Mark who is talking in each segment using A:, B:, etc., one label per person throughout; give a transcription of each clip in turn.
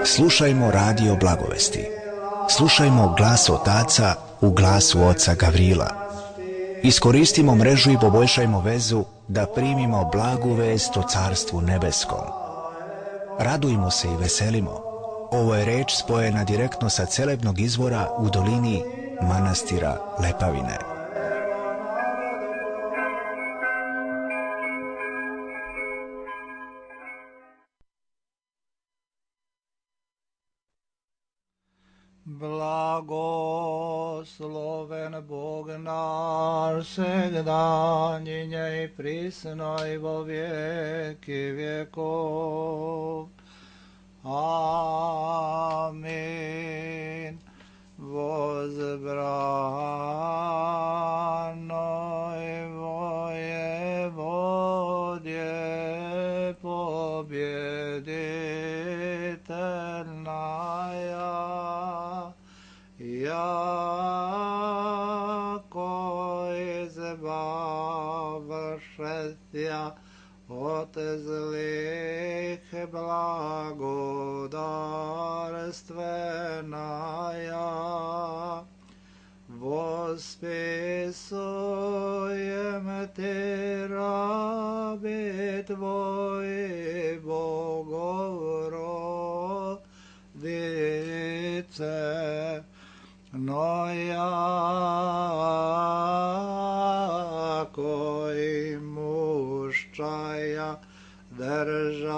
A: Slušajmo radio Blagovesti. Slušajmo glas otaca u glasu oca Gavrila. Iskoristimo mrežu i poboljšajmo vezu da primimo blagu vest o Carstvu nebeskom. Radujmo se i veselimo. Ovo je reč spojena direktno sa celebnog izvora u dolini manastira Lepavine.
B: Blagosloven Bog naš, segdanjinje i prisno i vo vijeki vjekov. Amin. Возбранoj воеводje побjeditelnaja, jako izbavšetja od zlih blagodarstvenaja. Vospisujem ti rabi tvoji Bogovrodice, no jako i muščaja državu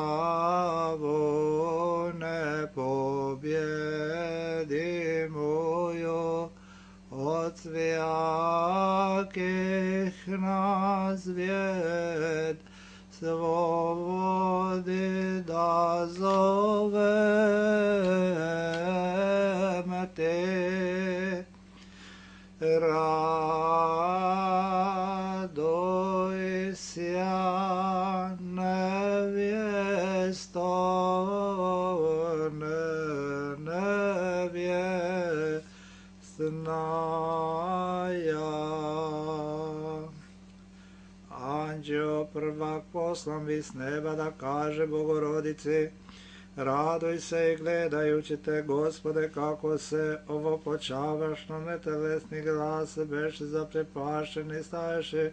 B: ne pobjedimuju, od svijakih na svijet svobodi da zovem te. Raduj sja nevjesto, Anđeo prvak poslan vi s neba da kaže Bogorodici: raduj se i gledajući te, Gospode, kako se ovo počavašno netelesni glas beše zaprepašeni staješe,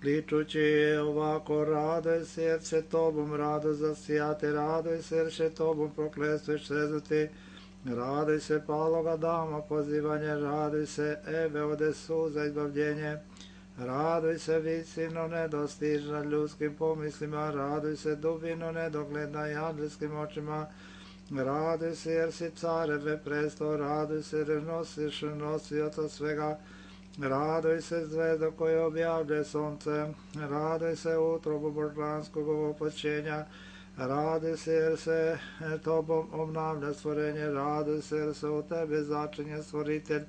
B: kličući ovako: raduj se jer će tobom rado zasijati, raduj se jer će tobom proklestveš srezuti, raduj se paloga dama pozivanje, raduj se Eve ode suza izbavljenje, raduj se visino nedostižna ljudskim pomislima, raduj se dubino nedogledna i anđelskim očima, raduj se jer si careve presto, raduj se jer nosiš nosioca svega, raduj se zvezdo koje objavlje sunce, raduj se utrobu božanskog opoćenja, raduj se jer se tobom obnavlja stvorenje, raduj se jer se u tebe začinje stvoritelj,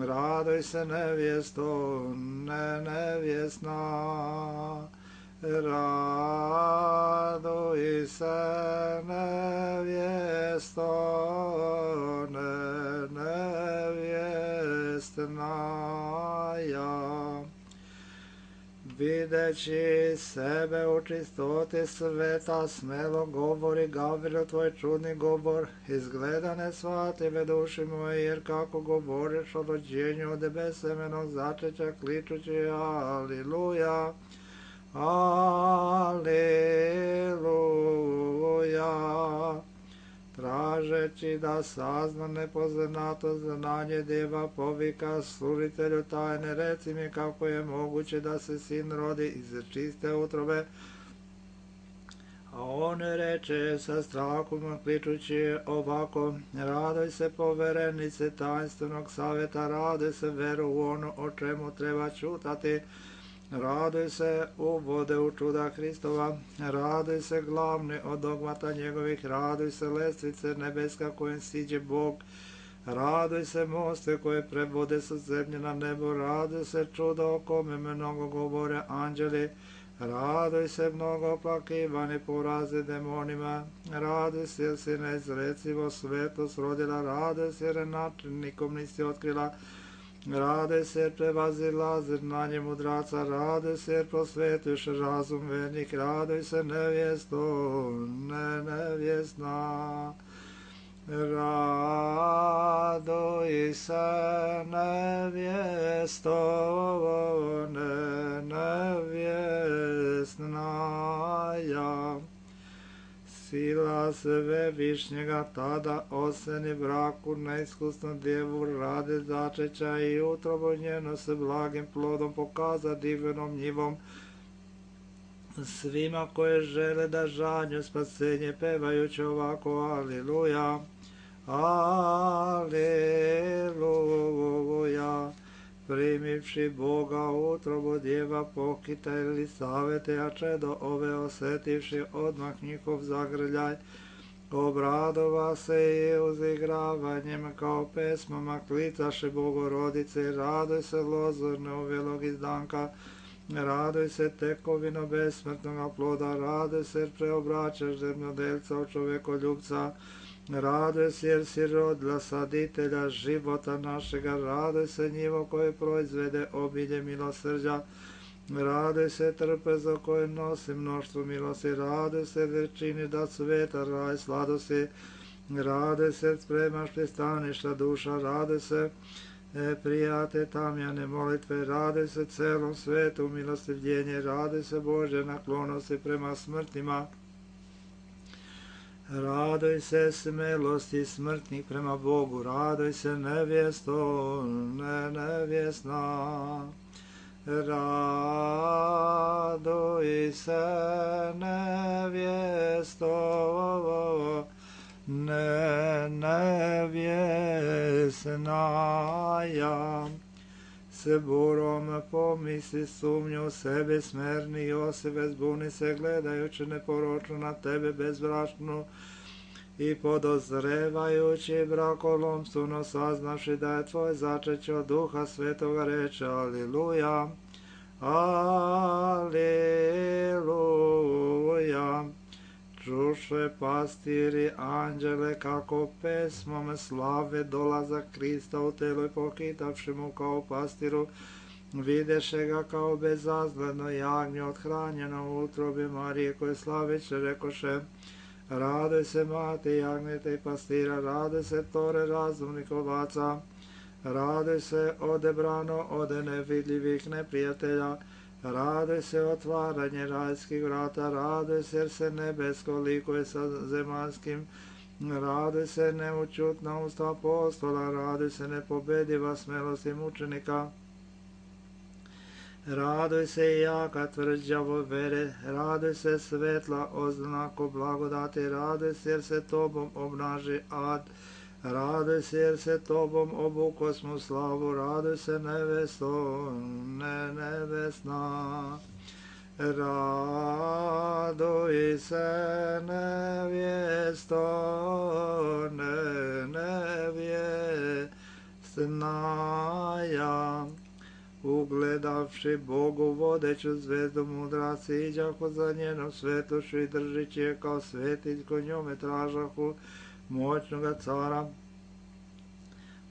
B: raduj se nevjesto, nevjesna, raduj se nevjesto, nevjesna. Videći sebe u čistoti sveta, smelo govori Gavrilo tvoj čudni govor, izgleda ne shvative duši moje, jer kako govoriš o rođenju od besemenog začeća, kličući aliluja, aliluja. Tražeći da sazna nepoznato znanje, djeva povika služitelju tajne: reci mi kako je moguće da se sin rodi iz čiste utrobe. A on reče sa strahom kličući ovako: raduj se poverenice tajnstvenog savjeta, raduj se veru u ono o čemu treba čutati, raduj se uvode u čuda Hristova, raduj se glavni od dogmata njegovih, raduj se lestvice nebeska kojim siđe Bog, raduj se moste koje prevode sa zemlje na nebo, raduj se čudo o kome mnogo govore anđeli, raduj se mnogo oplakivani porazi demonima, raduj se jer si neizrecivo svetost rodila, raduj se jer način nikom nisi otkrila, Raduj se jer prevazilazi znanje mudraca, raduj se jer prosvetuješ razum vernik, raduj se nevjesto, nevjesna. Raduj se nevjesto, nevjesnaja. Sila Svevišnjega tada oseni braku neiskusnu djevu radi začeća i utrobu njeno se blagim plodom pokaza divnom njivom svima koje žele da žanju spasenje pevajući ovako Aliluja, Aliluja. Primivši Boga utrobu djeva pokita ili savete, a čedo ove osetivši odmah njihov zagrljaj, obradova se i uzigravanjem kao pesmama klicaše Bogorodice, raduj se lozorne uvelog izdanka, raduj se tekovino besmrtnoga ploda, raduj se jer preobraćaš zemljodelca u čovekoljubca, raduj se jer si rodila saditelja života našega, raduj se njivo koje proizvede obilje milosrđa, raduj se trpezo koje nosi mnoštvo milosti, raduj se jer čini da sveta raj sladosti, raduj se jer spremaš pristaništa duša, raduj se prijate tamjane molitve, raduj se celom svetu milostivljenje, raduj se Bože naklonosti prema smrtnima, raduj se smelosti smrtnih prema Bogu, raduj se nevjesto, nevjesna. Raduj se nevjesto, nevjesnaja. Se burom pomisli sumnju u sebe smerni Josife, zbuni se gledajući neporočno na tebe bezbrašnu i podozrevajući brakolomstvo, saznavši da je tvoj začeće od Duha Svetoga reče Aliluja, Aliluja. Čuše pastiri anđele kako pesmom slave dolazak Krista u telo i pokitavši mu kao pastiru, videše ga kao bezazgledno jagnje othranjeno u utrobi Marije, koje slaviće rekoše, raduj se mate jagnjete i pastira, raduj se tore razumnih ovaca, raduj se odebrano ode nevidljivih neprijatelja, raduj se otvaranje rajskih vrata, raduj se jer se nebesko likuje sa zemaljskim, raduj se neučutna usta apostola, raduj se nepobediva smelost i mučenika, raduj se i jaka tvrđavo vere, raduj se svetla oznako blagodati, raduj se jer se tobom obnaži ad, raduj se jer se tobom obukosmo slavu, raduj se nevesto, nevesna. Raduj se nevjesto, nevjesnaja. Ugledavši Bogu vodeću zvezdu mudraci, iđahu za njenom svetlošću i držići je kao svetiljko, njome tražahu moćnoga cara.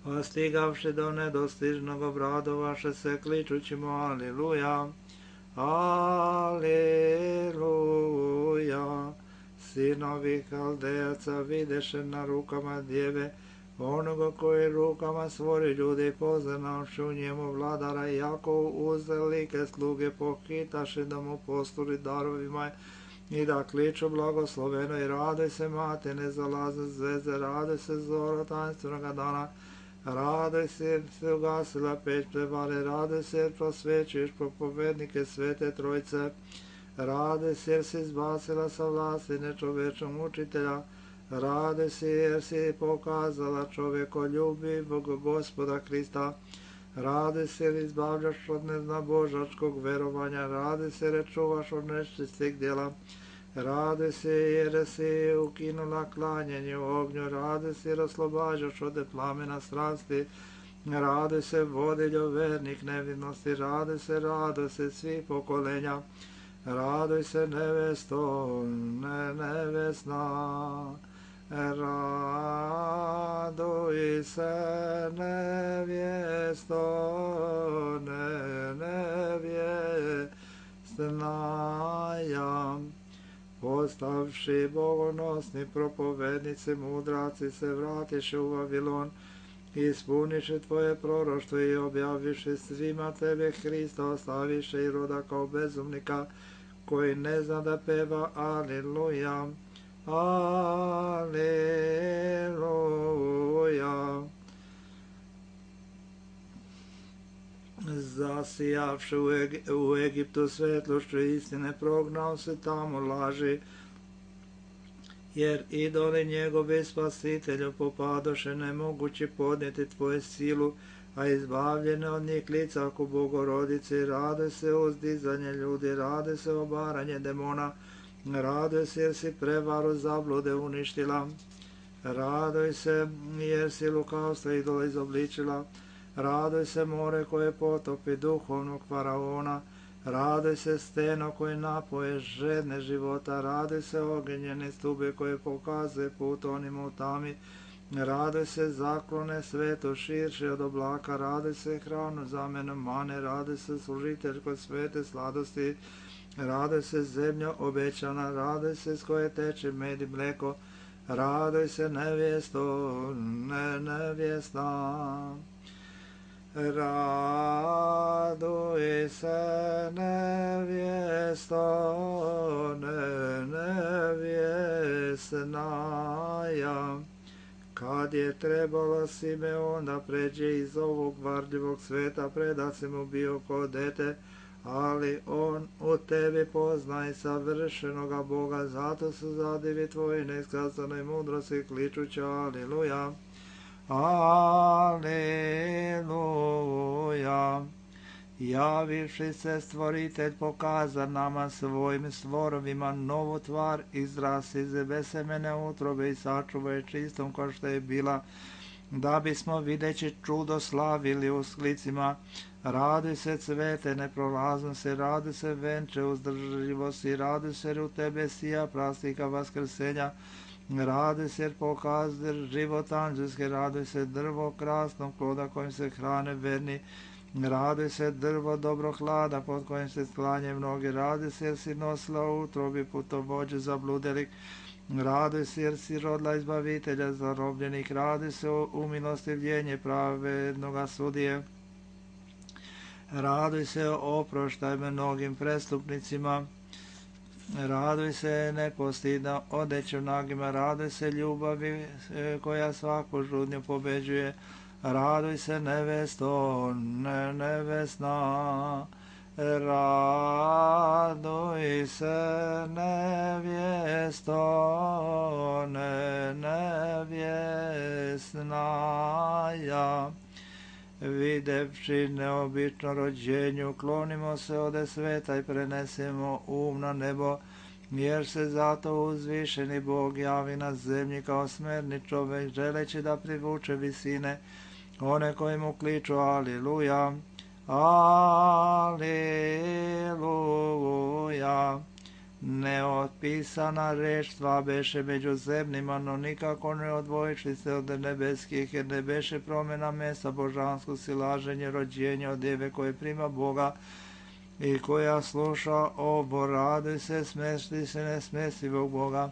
B: Pa stigavši do nedostižnog obradovaše se kličući mu Aliluja, Aliluja. Sinovi Haldejaca videše na rukama djeve onoga koji rukama stvori ljude i poznavši u njemu vladara, i jako uzvelike sluge pohitaše da mu posturi darovima i da kliču blagosloveno i raduj se mate nezalazne zvezde, raduj se zoro tanstvenoga dana, raduj se jer se ugasila peć prevare, raduj se jer prosvećuješ propovednike Svete Trojice, raduj se jer si izbacila sa vlasti nečovečnog učitelja, raduj se jer si pokazala čovjekoljubivog Gospoda Krista, raduj se jer izbavljaš od neznabožačkog verovanja, raduj se jer čuvaš od nečistih djela, raduj se jer si ukinula klanjanje u ognju, raduj se jer oslobađaš od plamena strasti, raduj se vodiljo vernih nevinosti, raduj se svih pokolenja, raduj se nevesto, nevesna. Raduj se nevjesto, nevjesnaja. Postavši bogonosni propovednici, mudraci se vratiše u Vavilon, ispuniše tvoje proroštvo i objaviše svima tebe Hrista, ostaviše i roda kao bezumnika, koji ne zna da peva Aleluja, Aleluja. Zasijavši u Egiptu svetlošću istine, prognao se tamo laži, jer idoli njegovi spasitelju popadoše, nemogući podnijeti tvoju silu, a izbavljene od njih lica ako Bogorodice. Raduj se uzdizanje ljudi, raduj se obaranje demona, raduj se jer si prevaru zablude uništila, raduj se jer si lukavstva idola izobličila, raduj se more koje potopi duhovnog faraona, raduj se steno koje napoje žedne života, raduj se ogenjene stube koje pokazuje put onima u tami, raduj se zaklone sveto širše od oblaka, raduj se hranu zamena mane, raduj se služitelj kod svete sladosti, raduj se zemlja obećana, raduj se s koje teče med i mleko, raduj se nevjesto, nevjesna. Raduj se nevjesto, nevjesnaja. Kad je trebalo Simeon da pređe iz ovog varljivog sveta, predat se mu bio ko dete, ali on u tebi poznaje savršenoga Boga, zato su zadivi tvoji neiskazanoj mudrosti, kličući Aleluja, Aleluja. Javivši se stvoritelj pokaza nama svojim stvorovima novu tvar, izrasti iz besemene utrobe i sačuva je čistom kao što je bila, da bismo videći čudo slavili u sklicima. Raduj se cvete neprolaznosti, raduj se venče uzdržljivosti, raduj se jer u tebe sija plastika vaskrsenja, raduj se jer pokazuje život anđelske, raduj se drvo krasnog ploda kojim se hrane verni, raduj se drvo dobro hlada pod kojim se sklanje mnogi, raduj se jer si nosila u utrobi putovođe zabludelik, raduj se jer si rodila izbavitelja zarobljenih, raduj se u milostivljenje pravednoga sudije, raduj se oproštaj mnogim prestupnicima, raduj se nepostidno odeću nagima, raduj se ljubavi koja svaku žudnju pobeđuje, raduj se nevesto, nevesna, raduj se nevjesto, nevjesnaja. Videvši neobično rođenju, klonimo se ode sveta i prenesemo na nebo, jer se zato uzvišeni Bog javi na zemlji kao smerni čovek, želeći da privuče visine one koji mu kliču Aleluja, Aleluja. Neotpisana reč tva beše među zemljima, no nikako ne odvojiši se od nebeskih, jer ne beše promjena mesta božansko silaženje rođenja od djeve koje prima Boga i koja sluša ovo. Raduj se, smesti se nesmestivog Boga,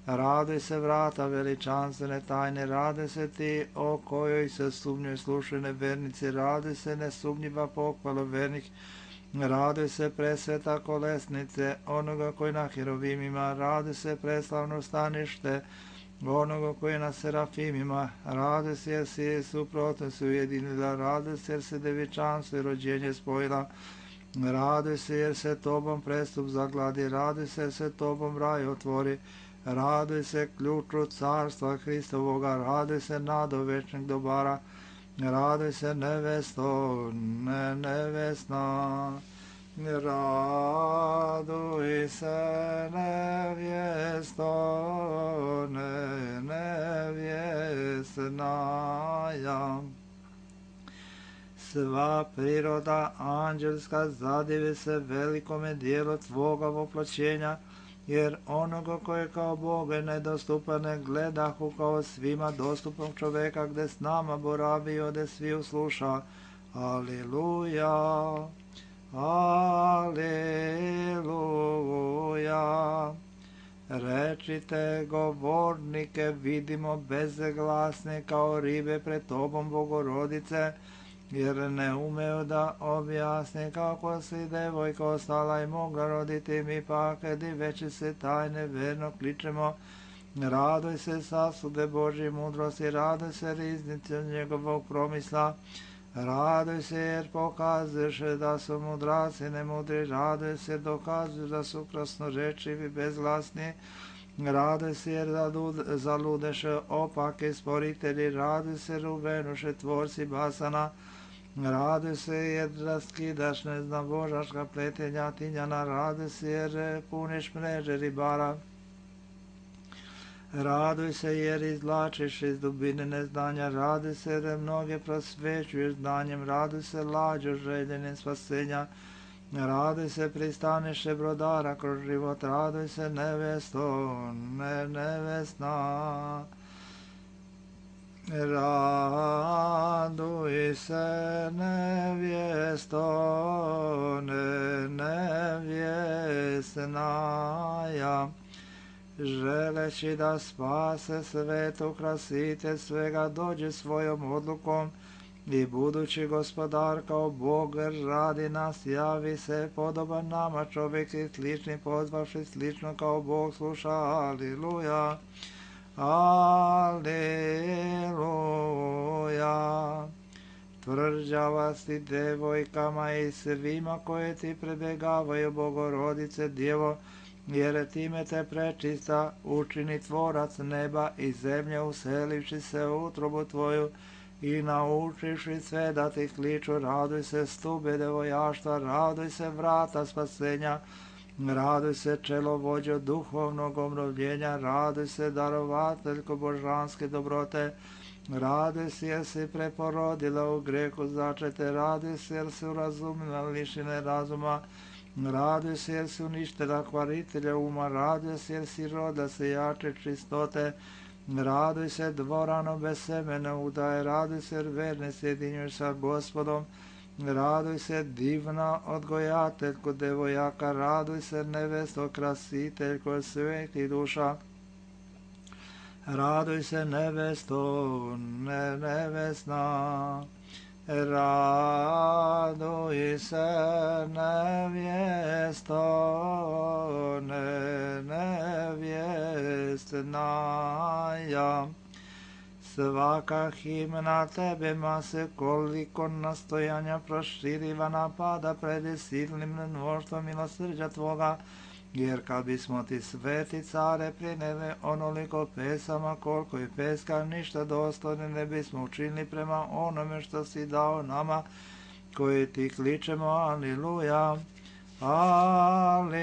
B: raduj se vrata veličanstvene tajne, raduj se ti o kojoj se sumnjoj slušaju nevernici, raduj se nesumnjiva pohvala vernih, raduj se presveta kolesnice onoga koji na herovimima, raduj se preslavno stanište onoga koji na serafimima, raduj se jer si suprotno se ujedinila, raduj se jer se devičanstvo i rođenje spojila, raduj se jer se tobom prestup zagladi, raduj se jer se tobom raj otvori, raduj se ključu carstva Hristovoga, raduj se nado večnih dobara, raduj se nevesto, nevesna, raduj se nevjesto, nevjesnaja. Sva priroda anđelska zadivi se velikome dijelu tvoga voploćenja, jer onoga koje kao Boga nedostupan ne gledahu kao svima dostupnog čoveka, gde s nama boravi i ode sviju sluša. Aleluja, aleluja. Rečite, govornike vidimo bezglasne kao ribe pred tobom, Bogorodice, jer ne umeju da objasne kako si devojka ostala i mogla roditi, mi pak diveći se tajne verno kličemo. Radoj se sasude Božje mudrosti, radoj se riznice njegovog promisla, radoj se jer pokazuješ da su mudraci nemudri, radoj se dokazuješ da su krasnorečivi bezglasni, radoj se jer zaludeše opake sporitelji, radoj se ruvenuše tvorci basana, radoj se jer raskidaš neznabožaška pletenja tinjana, radoj se jer puniš mreže ribara. Raduj se jer izvlačiš iz dubine neznanja, raduj se jer mnoge prosvećuješ znanjem, raduj se lađo željenim spasenja, raduj se pristaneše brodara kroz život, raduj se nevesto, nevesna. Raduj se nevjesto, nevjesnaja, želeći da spase svetu krasite svega, dođe svojom odlukom i budući gospodar kao Bog radi nas, javi se podoban nama čovjek i slični, pozvavši slično kao Bog sluša. Aleluja, aleluja. Tvrđava si devojkama i svima koje ti prebegavaju, Bogorodice Djevo, jer time te prečista učini tvorac neba i zemlje, uselivši se u utrobu tvoju i naučiši sve da ti kliču. Raduj se stube devojaštva, raduj se vrata spasenja, raduj se čelovođo duhovnog obnovljenja, raduj se darovateljko božanske dobrote, raduj se jer si preporodila u grehu začete, raduj se jer si urazumila lišine razuma, raduj se jer si uništila kvaritelja uma, raduj se jer si roda se jače čistote, raduj se dvorano bez semena udaje, raduj se jer verne sjedinjuješ sa Gospodom, raduj se divna odgojateljko devojaka, raduj se nevesto krasiteljko svetih duša, raduj se nevesto, nevesna. Raduj se nevjesto, nevjesnaja. Svaka himna tebema se koliko nastojanja proširiva napada pred silnim mnoštvom milosrđa tvoga, jer kad bismo ti sveti care prineli onoliko pesama koliko i peska, ništa dostojne ne bismo učinili prema onome što si dao nama koji ti kličemo. Aleluja, aleluja.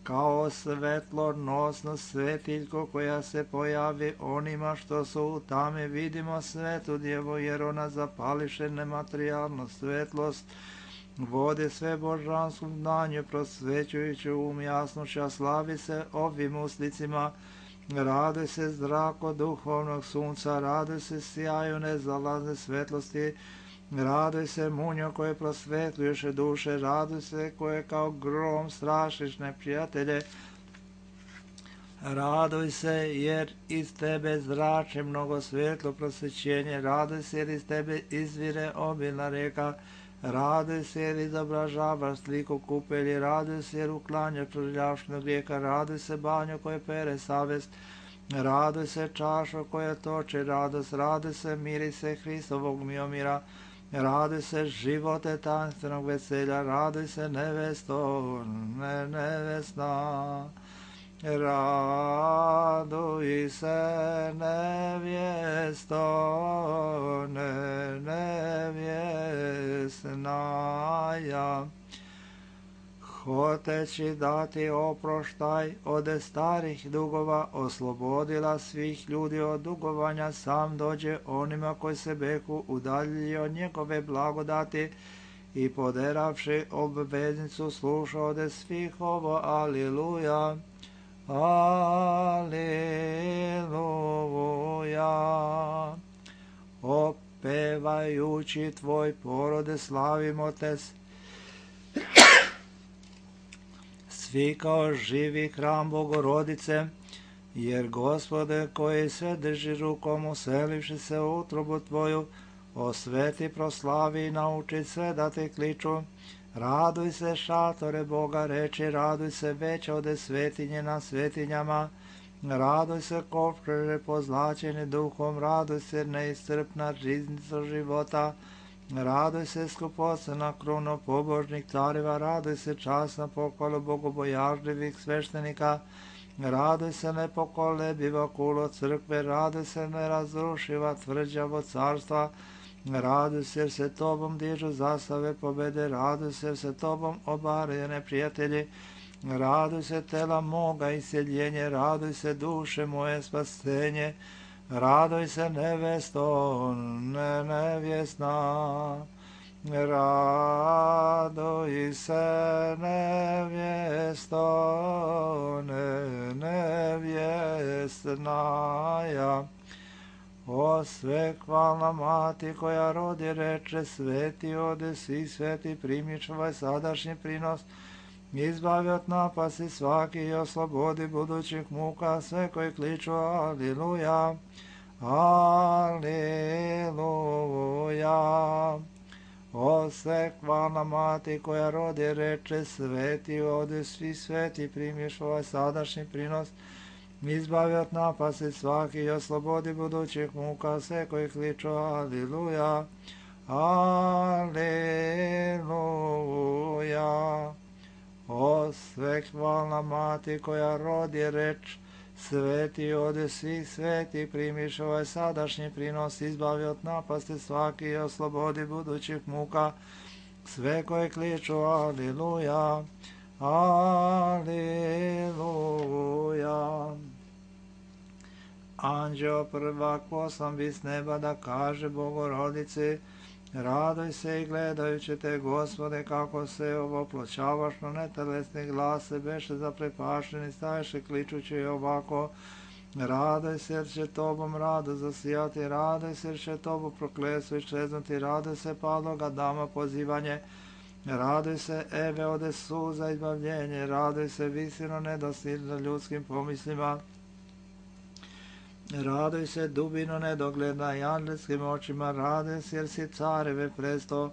B: Kao svetlonosno svetiljko koja se pojavi onima što su u tami, vidimo svetu djevo, jer ona zapališe nematerijalnu svetlost, vode sve božanskom znanju, prosvećujući jasnoća, slavi se ovim uslicima, raduj se zrako duhovnog sunca, raduj se sjaju nezalazne svetlosti, raduj se munjo koje prosvetljuješ duše, raduj se koje kao grom strašiš neprijatelje, raduj se jer iz tebe zrače mnogo svetlo prosvećenje, raduj se jer iz tebe izvire obilna reka, raduj se jer izobražavaš sliku kupelji, raduj se jer uklanjaš prljavštinu grijeka, raduj se banjo koje pere savest, raduj se čašo koje toče radost, raduj se mirise Hristovog miomira, raduj se živote tanstvenog veselja, raduj se nevesto, nevesna. Raduj se nevjesto, nevjesnaja. Hoteći dati oproštaj od starih dugova, oslobodila svih ljudi od dugovanja, sam dođe onima koji se behu udaljili od njegove blagodati i poderavši obveznicu slušao svih ovo, aliluja, aliluja. Opevajući tvoj porode slavimo te, svi kao živi hram Bogorodice, jer Gospode koji sve drži rukom uselivši se u utrobu tvoju, osveti, proslavi i nauči sve da te kliču. Raduj se šatore Boga reči, raduj se veća ode svetinje na svetinjama, raduj se kovčeže pozlačeni duhom, raduj se neiscrpna riznica života, raduj se skupocena kruno pobožnih careva, raduj se časna pohvala bogobojažljivih sveštenika, raduj se nepokolebiva kulo crkve, raduj se nerazrušiva tvrđavo carstva, raduj se jer se tobom dižu zastave pobede, raduj se jer se tobom obaraju neprijatelji, raduj se tela moga iseljenje, raduj se duše moje spasenje, raduj se nevesto nevjesna, raduj se nevjesto nevjesnaja. O svekvalna mati koja rodi reče, sveti ode svi sveti, primiš ovaj sadašnji prinos, izbavi od napasti svaki i oslobodi budućih muka sve koji kliču aliluja, aliluja. O svekvalna mati koja rodi reče, sveti ode svi sveti, primiš ovaj sadašnji prinos, izbavi od napasti svaki i oslobodi budućih muka sve koji kliču aliluja, aliluja. O svekvalna mati koja rodi reč, sveti ode svih sveti, primiš ovaj sadašnji prinos, izbavi od napasti svaki i oslobodi budućih muka sve koji kliču aliluja, aliluja. Anđeo prvak poslan bi s neba da kaže Bogorodici, raduj se i gledajući te, Gospode, kako se ovoploćavaš na netelesni glase, beše zaprepašteni, staješe kličući ovako, raduj se jer će tobom rado zasijati, raduj se jer će tobu prokletstvo iščeznuti, raduj se padloga dama pozivanje, raduj se Eve ode suza izbavljenje, raduj se visino nedostižno ljudskim pomislima, raduj se dubino nedogledna i anđelskim očima, raduj se jer si careve presto,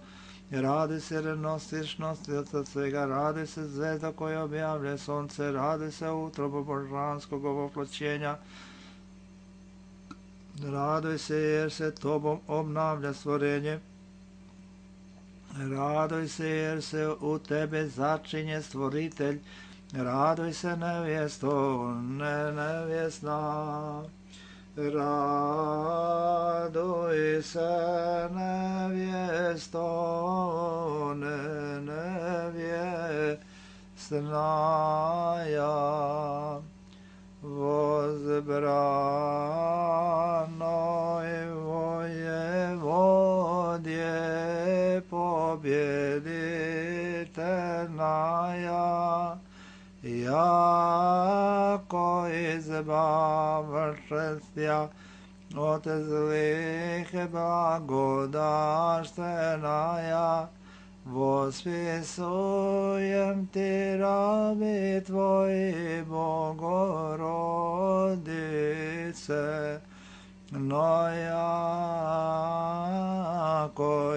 B: raduj se jer nosiš nosioca svega, raduj se zvezda koja objavlja sonce, raduj se utrobo božanskog ovoploćenja, raduj se jer se tobom obnavlja stvorenje, raduj se jer se u tebe začinje stvoritelj, raduj se nevjesto nevjesna, raduj se nevjesto nevjesnaja, vozbranoj vojevodje pobjeditelnaja, jako izbavšestja od zlih blagodaštvenaja, vospisujem ti rabi tvoji Bogorodice, no jako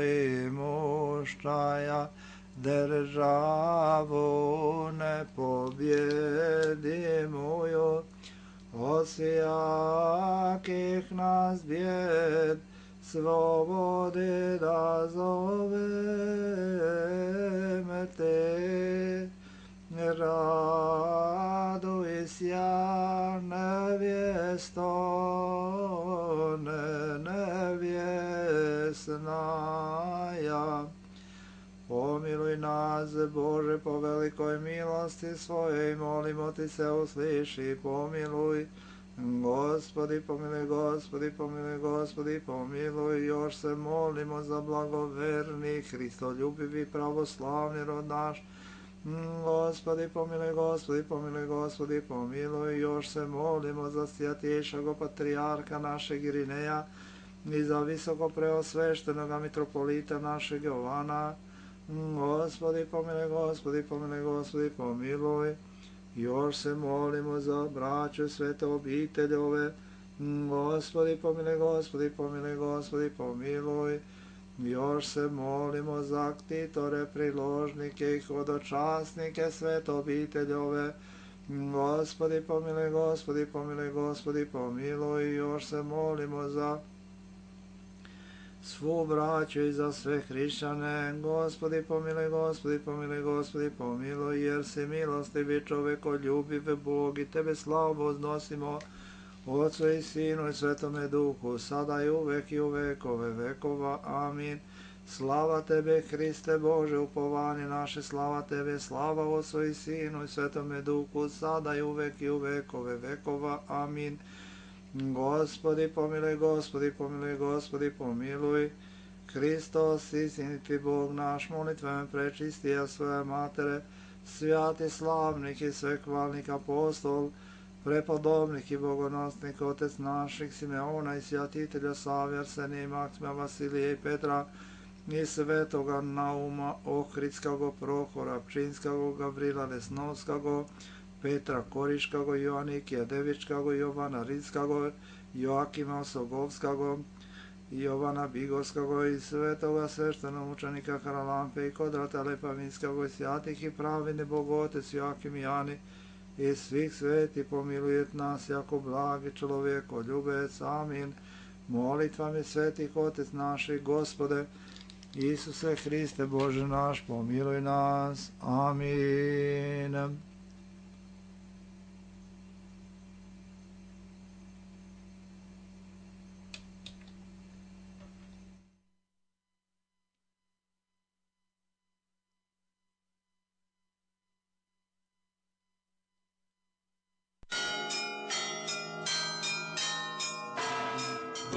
B: i muštaja državu nepobjedimuju, osijakih nas bjed slobodi da zoveme te, raduj sja nevjesto nevjesnaja. Pomiluj nas, Bože, po velikoj milosti svojoj, molimo ti se, usliši, pomiluj Gospodi pomiluj, Gospodi pomiluj, Gospodi pomiluj, još se molimo za blagoverni, Hristoljubivi, pravoslavni rod naš. Gospodi pomiluj, Gospodi pomiluj, Gospodi pomiluj, još se molimo za svjatješago patrijarha našeg Irineja i za visoko preosveštenoga mitropolita našeg Jovana. Gospodi pomiluj, Gospodi pomiluj, Gospodi pomiluj, još se molimo za braću svete obiteljove. Gospodi pomiluj, Gospodi pomiluj, Gospodi pomiluj, još se molimo za ktitore, priložnike i hodočasnike svete obiteljove. Gospodi pomiluj, Gospodi pomiluj, Gospodi pomiluj, još se molimo za svu braću i za sve hrišćane. Gospodi pomiluj, Gospodi pomiluj, Gospodi pomiluj, jer si milostivi, čovekoljubiv Bog, i tebe slavu uznosimo, Otcu i Sinu i Svetome Duhu, sada i uvek i u vekove vekova. Amin. Slava tebe, Hriste Bože, upovanje naše, slava tebe, slava Otcu i Sinu i Svetome Duhu, sada i uvek i u vekove vekova. Amin. Gospodi pomiluj, Gospodi pomiluj, Gospodi pomiluj, Hristos, istiniti Bog naš, molitvama prečistija svoje matere, svjati slavnih i svekvalnih apostol, prepodobnih i bogonosnih otec naših Simeona i svjatitelja Save, Arsenija i Maksima, Vasilija i Petra, i svetoga Nauma, Ohridskog, Prohora, Pčinskog, Gavrila Lesnovskog, Petra Koriškog, Joanikija Devičkog, Jovana Ridskog, Joakima Sogovskog, Jovana Bigovskog i svetoga sveštenomučenika Haralampe i Kodrata Lepavinskog i svjatih i pravine Bogotec Joakim i Jani i svih sveti pomilujet nas jako blagi čovjekoljubec. Amin. Molitvami svetih Otec naših, Gospode, Isuse Hriste Bože naš, pomiluj nas. Amin.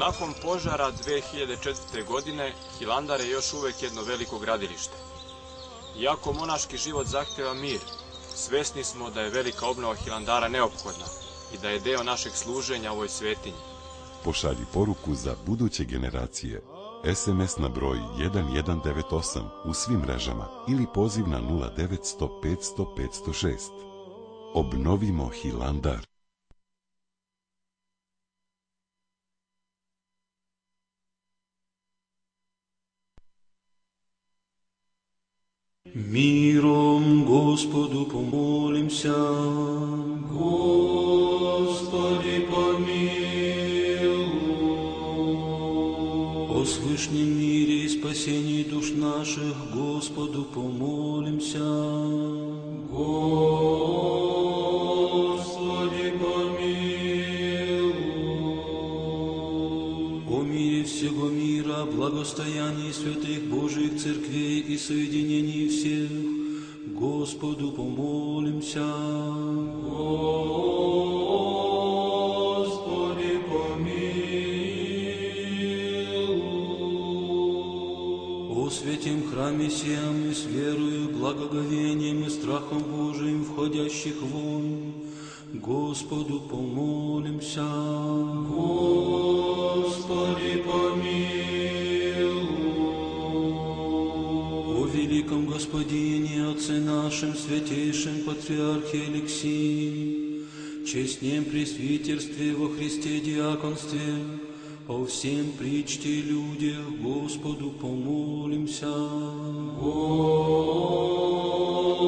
C: Nakon požara 2004. godine, Hilandar je još uvek jedno veliko gradilište. Iako monaški život zahteva mir, svesni smo da je velika obnova Hilandara neophodna i da je deo našeg služenja ovoj svetinji.
D: Pošalji poruku za buduće generacije. SMS na broj 1198 u svim mrežama ili poziv na 0900 500 506. Obnovimo Hilandar.
E: Миром Господу помолимся. Господи помилуй. О свышнем мире и спасении душ наших Господу помолимся. Господи помилуй. О мире всего мира, благостоянии святых Божьих церквей и соединении всех, Господу помолимся. Господи помилуй. О святем храме сем и с верою, благоговением и страхом Божиим входящих вон, Господу помолимся. Господи помилуй. О великом Господине, Отце нашим, святейшем Патриархе Алексии, честнем пресвитерстве во Христе диаконстве, о всем причте и людях, Господу помолимся.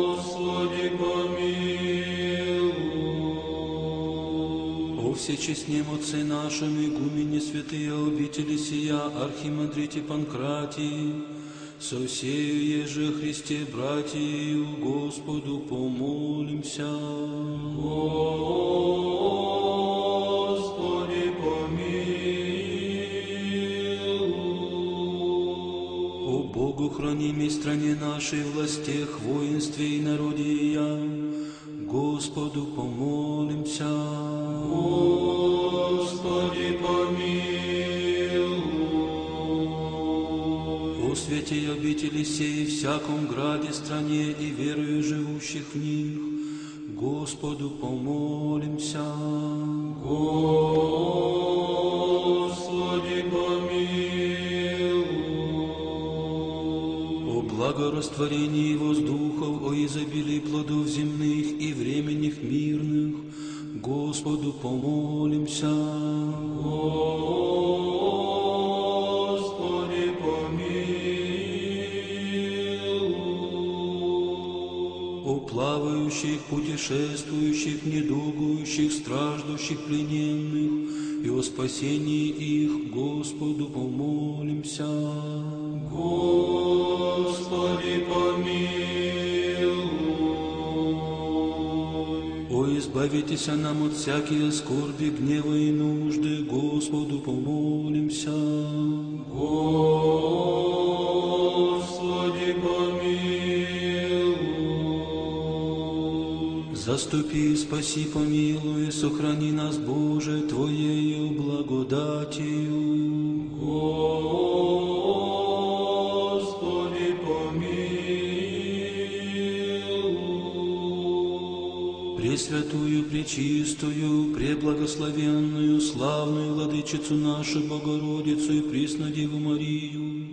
E: Господи помилуй. О всечестнем Отце нашем, игумене святые обители сия, архимандрите Панкратии, со всею еже Христе братью, Господу помолимся. Господи помилуй. О Богу хранимой стране нашей, властях, воинстве и народе я, Господу помолимся. святей обители сей, всяком граде, стране и верою живущих в них, Господу помолимся. Господи, помилуй. О благорастворении воздухов, о изобилии плодов земных и временных мирных, Господу помолимся. Господи, помилуй. О плавающих, путешествующих, недугующих, страждущих, плененных, и о спасении их, Господу помолимся. Господи, помилуй. О, избавитесь нам от всякие скорби, гнева и нужды, Господу помолимся. Господи, помилуй. Заступи, спаси, помилуй, сохрани нас, Боже, Твоею благодатью. Господи, помилуй. Пресвятую, пречистую, преблагословенную, славную Владычицу нашу Богородицу и Преснодеву Марию,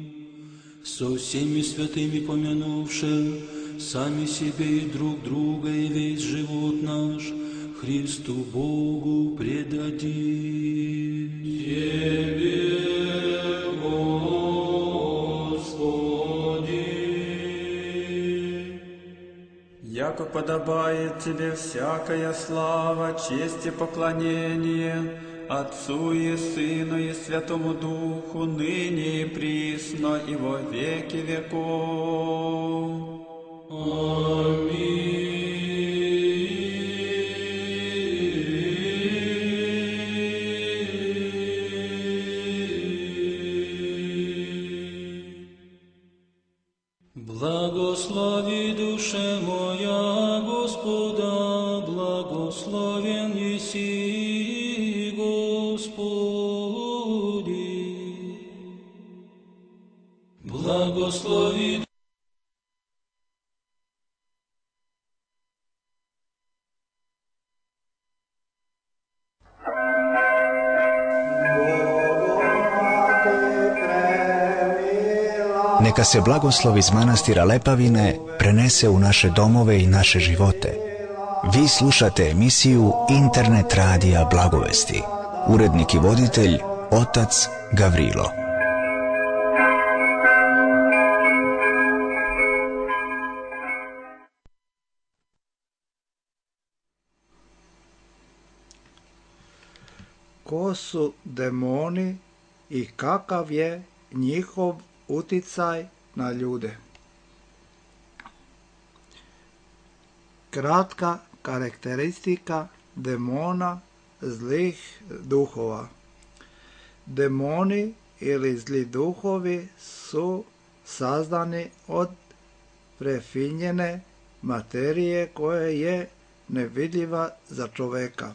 E: со всеми святыми помянувши сами себе и друг друга, и весь живот наш Христу Богу предадим. Тебе, Господи.
F: Яко подобает Тебе всякая слава, честь и поклонение Отцу и Сыну и Святому Духу, ныне и присно и во веки веков.
E: Аминь. Благослови, душе моя, Господа, благословен еси, Господи. Благослови.
A: Neka se blagoslov iz manastira Lepavine prenese u naše domove i naše živote. Vi slušate emisiju Internet radija Blagovesti. Urednik i voditelj otac Gavrilo.
B: Ko su demoni i kakav je njihov uticaj na ljude? Kratka karakteristika demona, zlih duhova. Demoni ili zli duhovi su sazdani od prefinjene materije koja je nevidljiva za čoveka.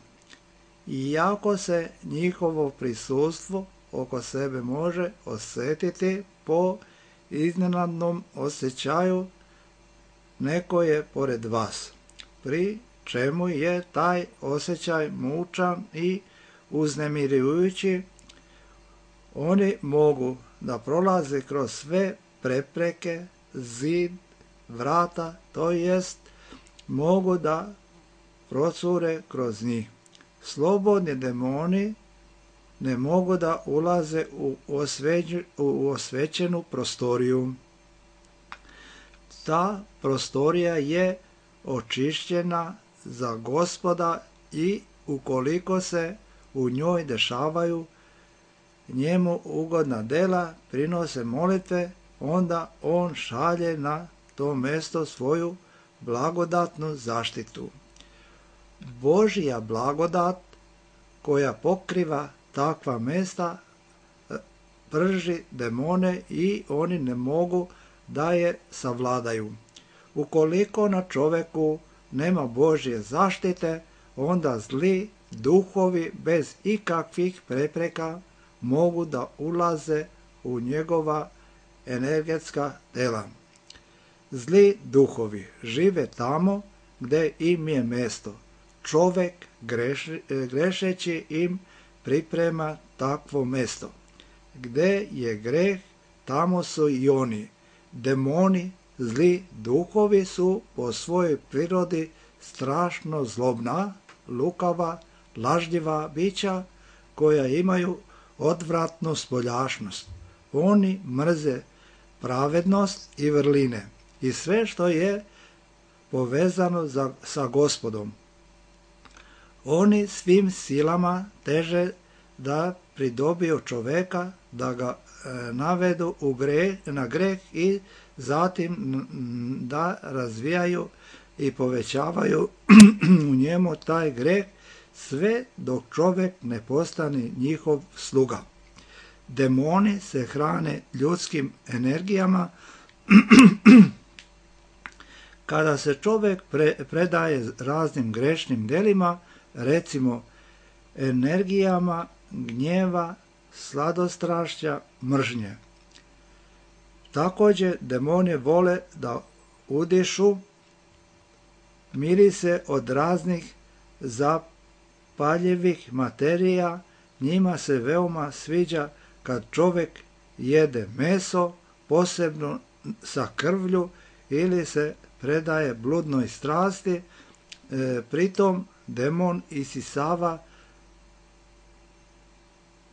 B: Iako se njihovo prisustvo oko sebe može osjetiti po iznenadnom osjećaju, neko je pored vas, pri čemu je taj osjećaj mučan i uznemirujući. Oni mogu da prolaze kroz sve prepreke, zid, vrata, to jest mogu da procure kroz njih. Slobodni demoni ne mogu da ulaze u osvećenu prostoriju. Ta prostorija je očišćena za Gospoda i ukoliko se u njoj dešavaju njemu ugodna dela, prinose molitve, onda on šalje na to mesto svoju blagodatnu zaštitu. Božja blagodat koja pokriva takva mesta prži demone i oni ne mogu da je savladaju. Ukoliko na čoveku nema Božje zaštite, onda zli duhovi bez ikakvih prepreka mogu da ulaze u njegova energetska tela. Zli duhovi žive tamo gdje im je mesto. Čovjek grešeći im priprema takvo mesto. Gdje je greh, tamo su i oni. Demoni, zli duhovi su po svojoj prirodi strašno zlobna, lukava, lažljiva bića koja imaju odvratnu spoljašnost. Oni mrze pravednost i vrline i sve što je povezano sa Gospodom. Oni svim silama teže da pridobiju čoveka, da ga navedu na greh i zatim da razvijaju i povećavaju u njemu taj greh, sve dok čovjek ne postane njihov sluga. Demoni se hrane ljudskim energijama. Kada se čovjek predaje raznim grešnim delima, recimo energijama gnjeva, sladostrašća, mržnje. Također demoni vole da udišu mirise od raznih zapaljivih materija. Njima se veoma sviđa kad čovjek jede meso, posebno sa krvlju, ili se predaje bludnoj strasti. Pritom demon isisava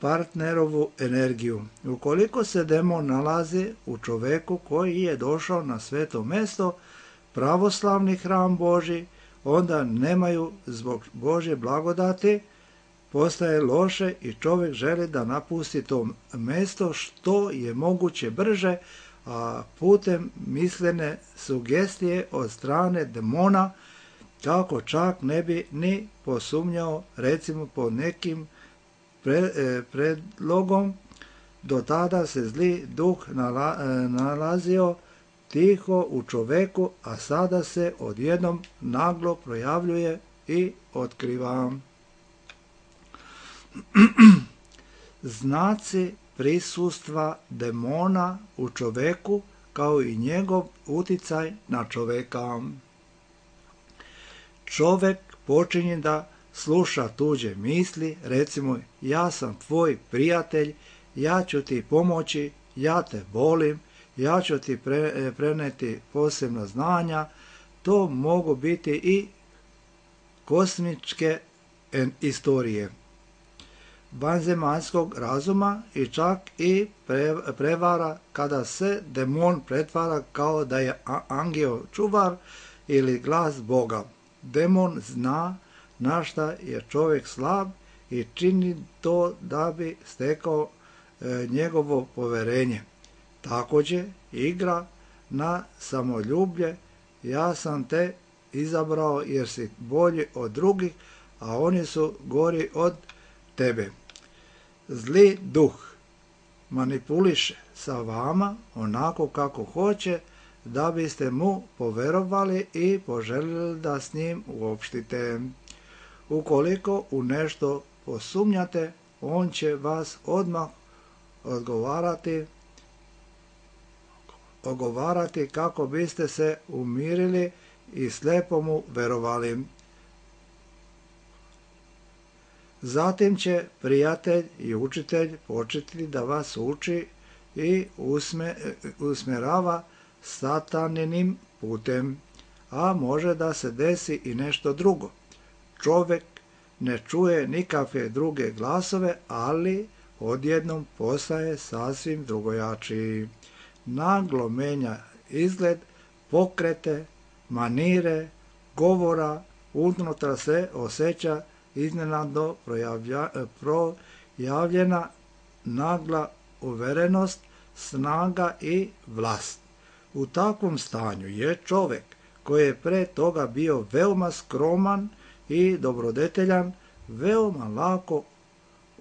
B: partnerovu energiju. Ukoliko se demon nalazi u čoveku koji je došao na sveto mesto, pravoslavni hram Božji, onda nemaju zbog Božje blagodati, postaje loše i čovjek želi da napusti to mesto što je moguće brže, a putem mislene sugestije od strane demona, kako čak ne bi ni posumnjao, recimo po nekim predlogom. Do tada se zli duh nalazio tiho u čoveku, a sada se odjednom naglo projavljuje i otkriva. Znaci prisustva demona u čoveku kao i njegov uticaj na čoveka. Čovek počinje da sluša tuđe misli, recimo ja sam tvoj prijatelj, ja ću ti pomoći, ja te volim, ja ću ti preneti posebna znanja. To mogu biti i kosmičke istorije vanzemaljskog razuma i čak i prevara kada se demon pretvara kao da je angel čuvar ili glas Boga. Demon zna na šta je čovjek slab i čini to da bi stekao njegovo poverenje. Također igra na samoljublje, ja sam te izabrao jer si bolji od drugih, a oni su gori od tebe. Zli duh manipuliše sa vama onako kako hoće da biste mu poverovali i poželjeli da s njim uopštite. Ukoliko u nešto posumnjate, on će vas odmah ogovarati kako biste se umirili i slijepo mu verovali. Zatim će prijatelj i učitelj početi da vas uči i usmjerava sataninim putem, a može da se desi i nešto drugo. Čovjek ne čuje nikakve druge glasove, ali odjednom postaje sasvim drugojačiji. Naglo menja izgled, pokrete, manire, govora, unutra se osjeća iznenadno projavljena nagla uverenost, snaga i vlast. U takvom stanju je čovjek koji je pre toga bio veoma skroman i dobrodeteljan, veoma lako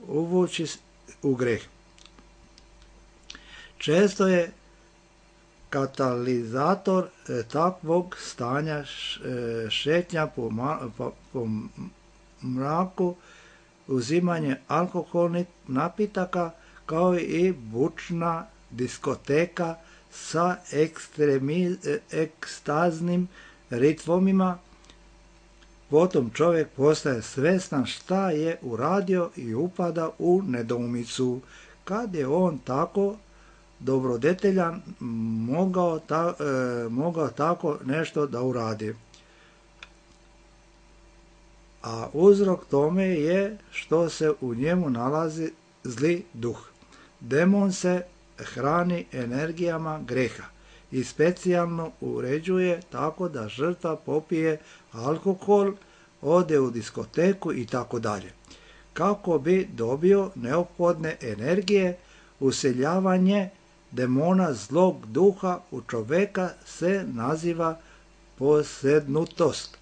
B: uvući u greh. Često je katalizator takvog stanja šetnja po mraku, uzimanje alkoholnih napitaka kao i bučna diskoteka sa ekstaznim ritmima, potom čovjek postaje svjestan šta je uradio i upada u nedoumicu. Kad je on tako dobrodeteljan mogao tako nešto da uradi? A uzrok tome je što se u njemu nalazi zli duh. Demon se hrani energijama greha i specijalno uređuje tako da žrtva popije alkohol, ode u diskoteku i tako dalje. Kako bi dobio neophodne energije, useljavanje demona zlog duha u čoveka se naziva posednutost.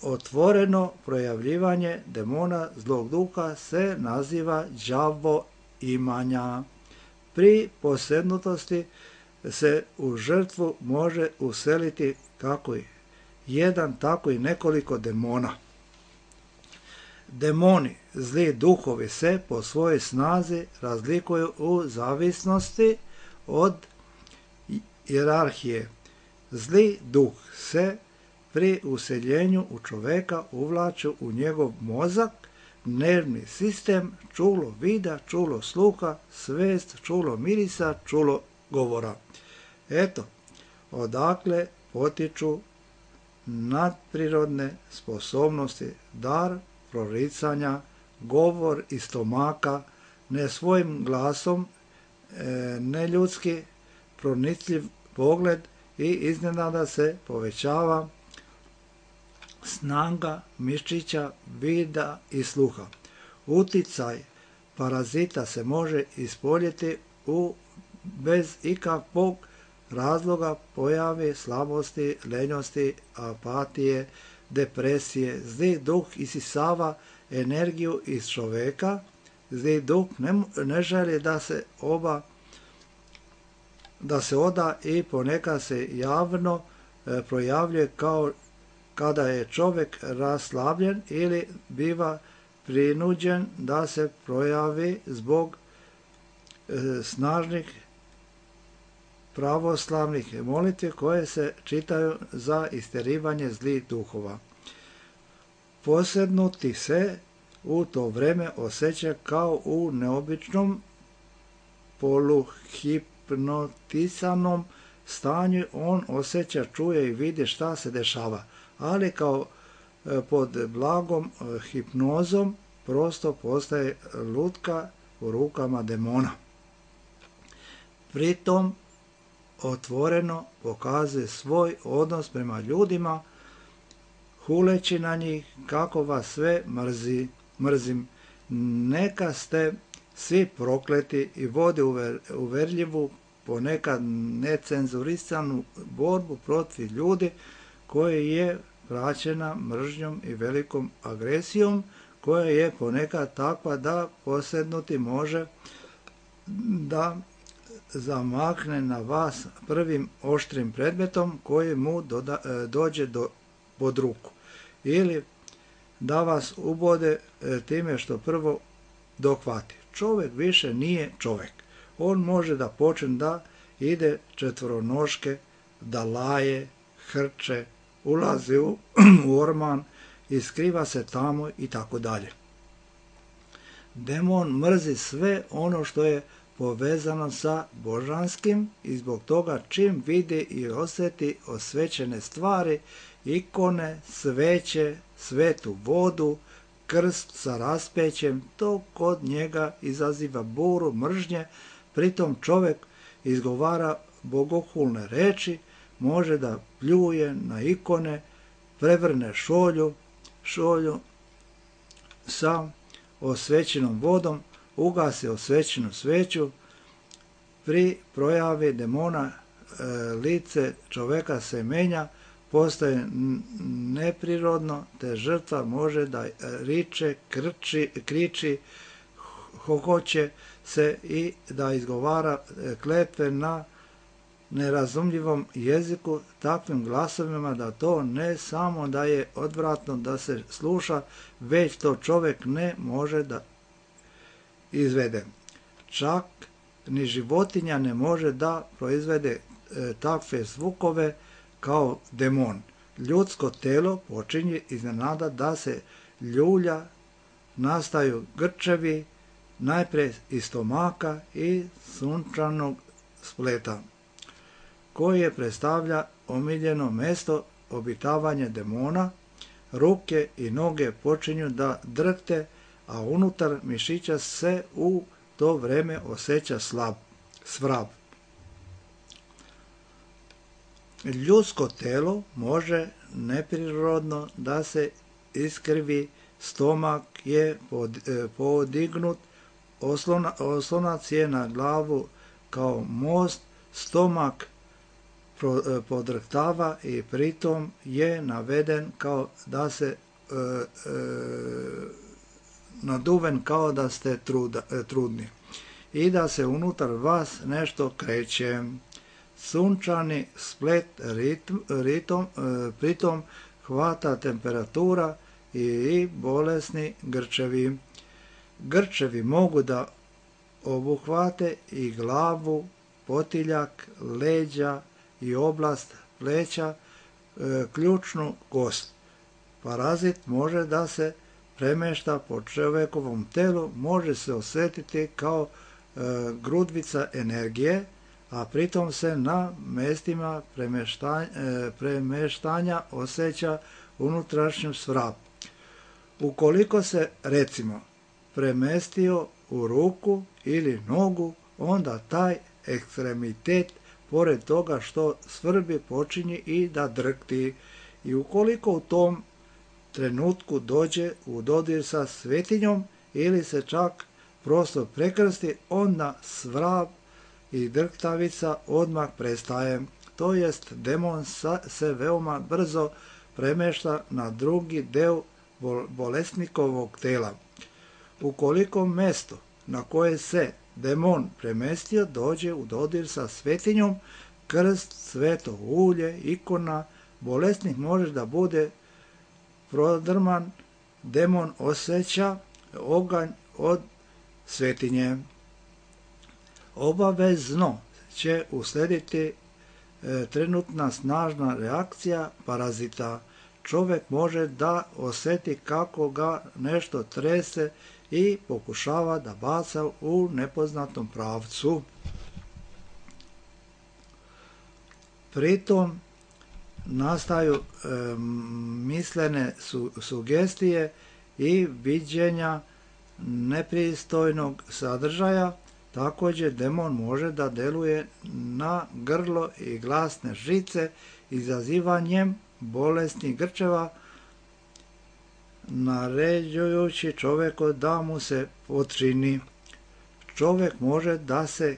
B: Otvoreno projavljivanje demona zlog duha se naziva đavoimanja. Pri posednutosti se u žrtvu može useliti kako jedan, tako i nekoliko demona. Demoni, zli duhovi se po svojoj snazi razlikuju u zavisnosti od hijerarhije. Zli duh se pri useljenju u čoveka uvlači u njegov mozak, nervni sistem, čulo vida, čulo sluha, svest, čulo mirisa, čulo govora. Eto, odakle potiču nadprirodne sposobnosti, dar proricanja, govor iz stomaka, ne svojim glasom, neljudski, pronicljiv pogled i iznenada se povećava snaga mišića, vida i sluha. Uticaj parazita se može ispoljiti bez ikakvog razloga pojave slabosti, lenjosti, apatije, depresije. Zli duh isisava energiju iz čoveka. Zli duh ne želi da se oda i ponekad se javno projavljuje kao kada je čovjek raslabljen ili biva prinuđen da se projavi zbog snažnih pravoslavnih molitvi koje se čitaju za isterivanje zlih duhova. Posednuti se u to vreme osjeća kao u neobičnom poluhipnotisanom stanju. On osjeća, čuje i vidi šta se dešava, ali kao pod blagom hipnozom prosto postaje lutka u rukama demona. Pritom otvoreno pokazuje svoj odnos prema ljudima, huleći na njih kako vas sve mrzim. Neka ste svi prokleti i vode uverljivu, ponekad necenzurisanu borbu protiv ljudi koja je praćena mržnjom i velikom agresijom, koja je ponekad takva da posednuti može da zamahne na vas prvim oštrim predmetom koji mu dođe pod ruku, ili da vas ubode time što prvo dohvati. Čovjek više nije čovjek. On može da počne da ide četvoronoške, da laje, hrče, ulazi u orman i skriva se tamo i tako dalje. Demon mrzi sve ono što je povezano sa božanskim i zbog toga čim vidi i osjeti osvećene stvari, ikone, sveće, svetu vodu, krst sa raspećem, to kod njega izaziva buru mržnje. Pritom čovjek izgovara bogohulne reči, može da pljuje na ikone, prevrne šolju sa osvećenom vodom, ugasi osvećenu sveću. Pri projavi demona lice čoveka se menja, postaje neprirodno, te žrtva može da riče, kriči, hohoće se i da izgovara kletve na nerazumljivom jeziku takvim glasovima da to ne samo da je odvratno da se sluša, već to čovjek ne može da izvede. Čak ni životinja ne može da proizvede takve zvukove kao demon. Ljudsko telo počinje iznenada da se ljulja, nastaju grčevi, najprije iz stomaka i sunčanog spleta, koje predstavlja omiljeno mesto obitavanja demona. Ruke i noge počinju da drhte, a unutar mišića se u to vreme osjeća svrab. Ljudsko telo može neprirodno da se iskrivi, stomak je podignut, oslonac je na glavu kao most, stomak podrhtava i pritom je naveden kao da se naduven kao da ste trudni i da se unutar vas nešto kreće. Sunčani splet pritom hvata temperatura i bolesni grčevi. Grčevi mogu da obuhvate i glavu, potiljak, leđa i oblast pleća, ključnu kost. Parazit može da se premešta po čovjekovom telu, može se osjetiti kao grudvica energije, a pritom se na mestima premeštanja osjeća unutrašnju svrab. Ukoliko se, recimo, premestio u ruku ili nogu, onda taj ekstremitet, pored toga što svrbi, počinje i da drhti. I ukoliko u tom trenutku dođe u dodir sa svetinjom ili se čak prosto prekrsti, onda svrab i drhtavica odmah prestaje. To jest, demon se veoma brzo premešta na drugi deo bolesnikovog tela. Ukoliko mesto na koje se demon premestio dođe u dodir sa svetinjom, krst, sveto ulje, ikona, bolesnik može da bude prodrman, demon osjeća oganj od svetinje. Obavezno će uslediti trenutna snažna reakcija parazita. Čovjek može da osjeti kako ga nešto trese i pokušava da baca u nepoznatom pravcu. Pritom nastaju mislene sugestije i viđenja nepristojnog sadržaja. Također demon može da deluje na grlo i glasne žice, izazivanjem bolesnih grčeva, naređujući čovjeku da mu se potčini. Čovjek može da se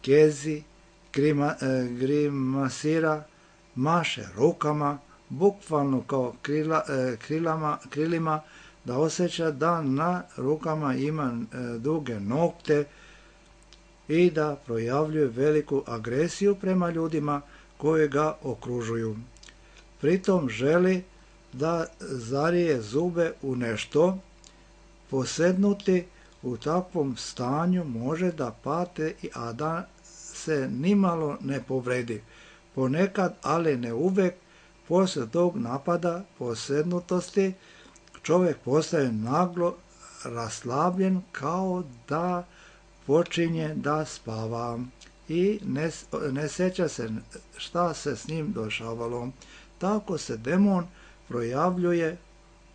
B: kezi, grimasira, maše rukama, bukvalno kao krilima, da osjeća da na rukama ima duge nokte i da projavljuje veliku agresiju prema ljudima koji ga okružuju. Pritom želi da zarije zube u nešto. Posednuti u takvom stanju može da pate, a da se nimalo ne povredi. Ponekad, ali ne uvek, poslije tog napada posednutosti čovjek postaje naglo raslabljen, kao da počinje da spava i ne sjeća se šta se s njim dešavalo. Tako se demon projavljuje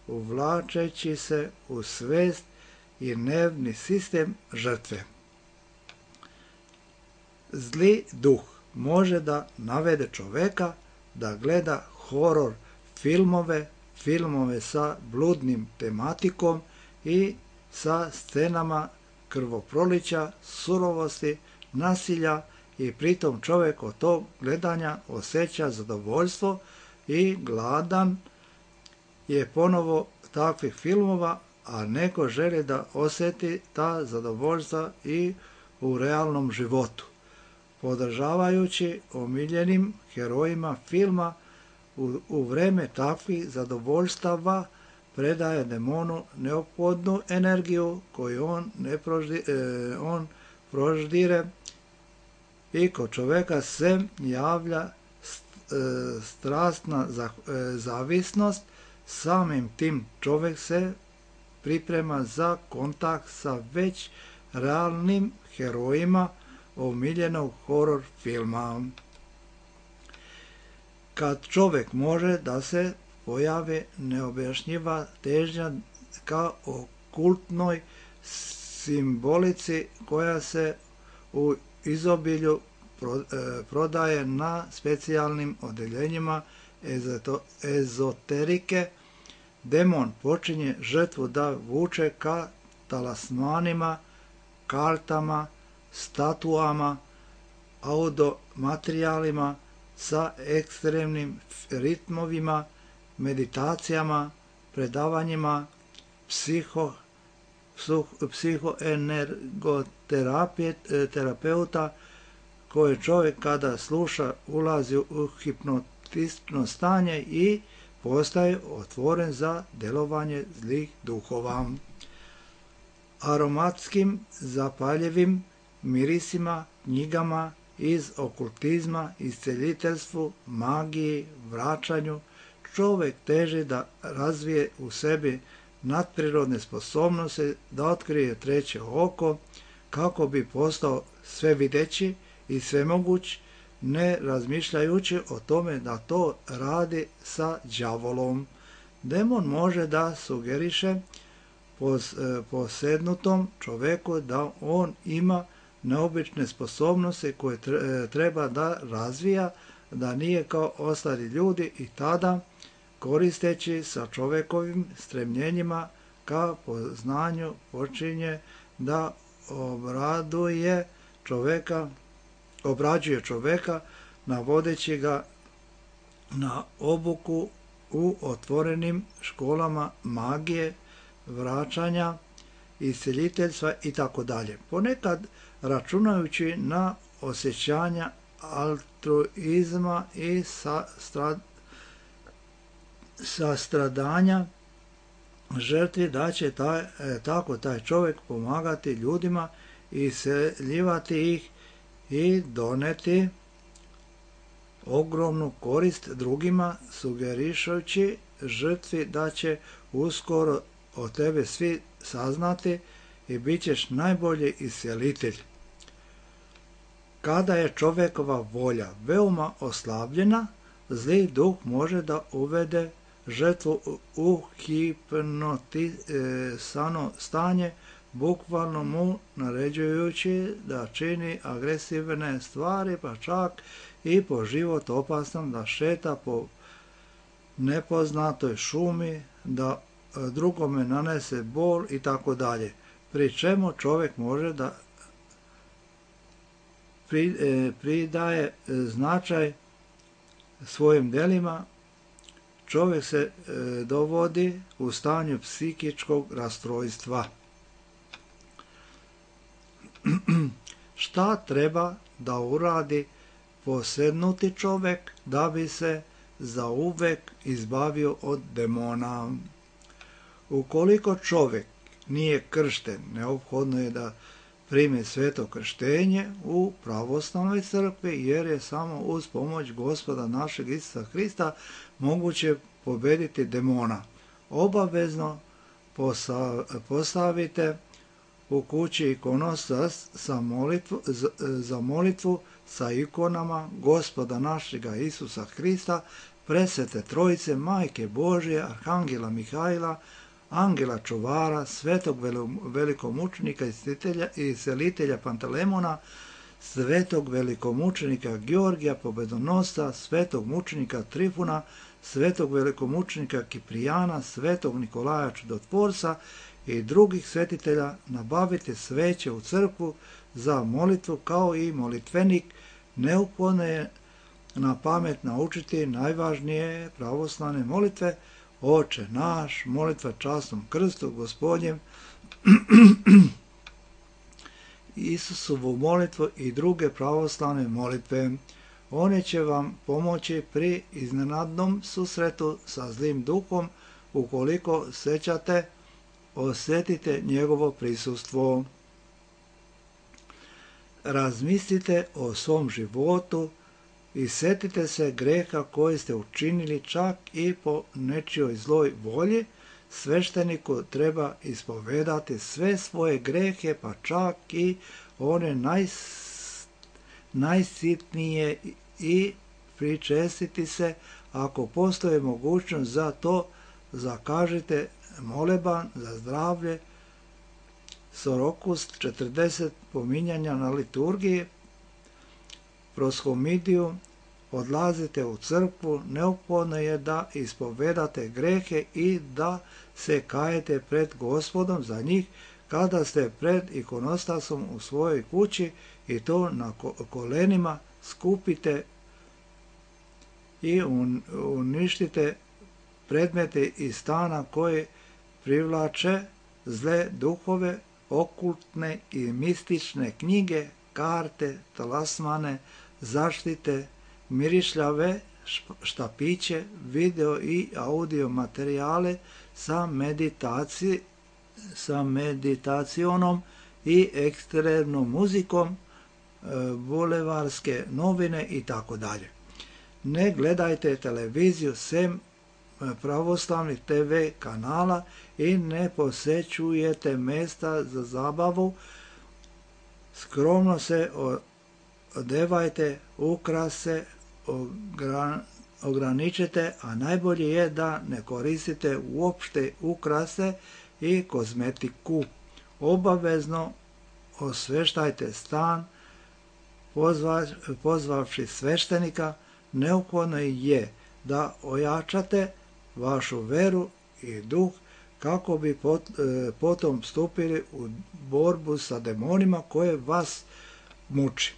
B: uvlačeći se u svest i nervni sistem žrtve. Zli duh može da navede čoveka da gleda horor filmove sa bludnim tematikom i sa scenama krvoprolića, surovosti, nasilja, i pritom čovjek od tog gledanja osjeća zadovoljstvo i gladan je ponovo takvih filmova, a neko želi da osjeti ta zadovoljstva i u realnom životu. Podržavajući omiljenim herojima filma, u vreme takvih zadovoljstava predaje demonu neophodnu energiju koju on proždire i kod čoveka se javlja strastna zavisnost. Samim tim čovjek se priprema za kontakt sa već realnim herojima omiljenog horor filma. Kad čovjek može da se pojavi neobjašnjiva težnja ka okultnoj simbolici koja se u izobilju prodaje na specijalnim odeljenjima ezoterike, demon počinje žrtvu da vuče ka talasmanima, kartama, statuama, audiomaterijalima sa ekstremnim ritmovima, meditacijama, predavanjima psihoenergoterapeuta koje čovjek kada sluša ulazi u hipnotično stanje i postaje otvoren za djelovanje zlih duhova. Aromatskim, zapaljivim mirisima, knjigama iz okultizma, isceljiteljstvu, magiji, vraćanju, čovjek teži da razvije u sebi nadprirodne sposobnosti, da otkrije treće oko, kako bi postao svevideći i svemoguć, ne razmišljajući o tome da to radi sa đavolom. Demon može da sugeriše posednutom čovjeku da on ima neobične sposobnosti koje treba da razvija, da nije kao ostali ljudi, i tada, koristeći sa čovjekovim stremljenjima ka poznanju, počinje da obrađuje čovjeka, navodeći ga na obuku u otvorenim školama magije, vraćanja, isceljiteljstva itd. Ponekad računajući na osjećanja altruizma i sastradanja žrtvi, da će tako taj čovjek pomagati ljudima, iseljivati ih i doneti ogromnu korist drugima, sugerišući žrtvi da će uskoro o tebe svi saznati i bit ćeš najbolji iscelitelj. Kada je čovjekova volja veoma oslabljena, zli duh može da uvede žrtvu u hipnotisano stanje, bukvalno mu naređujući da čini agresivne stvari, pa čak i po život opasnom, da šeta po nepoznatoj šumi, da drugome nanese bol i tako dalje. Pri čemu čovjek može da pridaje značaj svojim djelima, čovjek se dovodi u stanju psihičkog rastrojstva. Šta treba da uradi posednuti čovjek da bi se zauvek izbavio od demona? Ukoliko čovjek nije kršten, neophodno je da primi sveto krštenje u pravoslavnoj crkvi, jer je samo uz pomoć Gospoda našeg Isusa Hrista moguće pobediti demona. Obavezno postavite u kući ikonostas za molitvu sa ikonama Gospoda našega Isusa Hrista, presvete Trojice, Majke Božje, Arhangela Mihajla, Angela čuvara, svetog velikomučenika i iscelitelja Pantalemona, svetog velikomučenika Georgija Pobedonosca, svetog mučenika Trifuna, svetog velikomučenika Kiprijana, svetog Nikolaja Čudotvorca i drugih svetitelja. Nabavite sveće u crkvu za molitvu kao i molitvenik. Neophodno je na pamet naučiti najvažnije pravoslavne molitve: Oče naš, molitva časnom krstu Gospodnjem, Isusovu molitvu i druge pravoslavne molitve. One će vam pomoći pri iznenadnom susretu sa zlim duhom. Ukoliko osjetite njegovo prisustvo. razmislite o svom životu i setite se greha koji ste učinili čak i po nečijoj zloj volji. Svešteniku treba ispovedati sve svoje grehe, pa čak i one najsitnije, i pričestiti se. Ako postoji mogućnost za to, zakažite moleban za zdravlje, sorokust, 40 pominjanja na liturgiji, proshomidiju, odlazite u crkvu. Neophodno je da ispovedate grehe i da se kajete pred Gospodom za njih kada ste pred ikonostasom u svojoj kući, i to na kolenima skupite i uništite predmete iz stana koji privlače zle duhove, okultne i mistične knjige, karte, talismane, zaštite, mirišljave štapiće, video i audio materijale sa meditacionom i ekstremnom muzikom, bulevarske novine i tako dalje. Ne gledajte televiziju sem pravoslavnih TV kanala i ne posećujete mesta za zabavu. Skromno se odevajte, ukrase ograničite, a najbolje je da ne koristite uopšte ukrase i kozmetiku. Obavezno osveštajte stan, pozvavši sveštenika. Neophodno je da ojačate vašu veru i duh kako bi potom stupili u borbu sa demonima koje vas muči.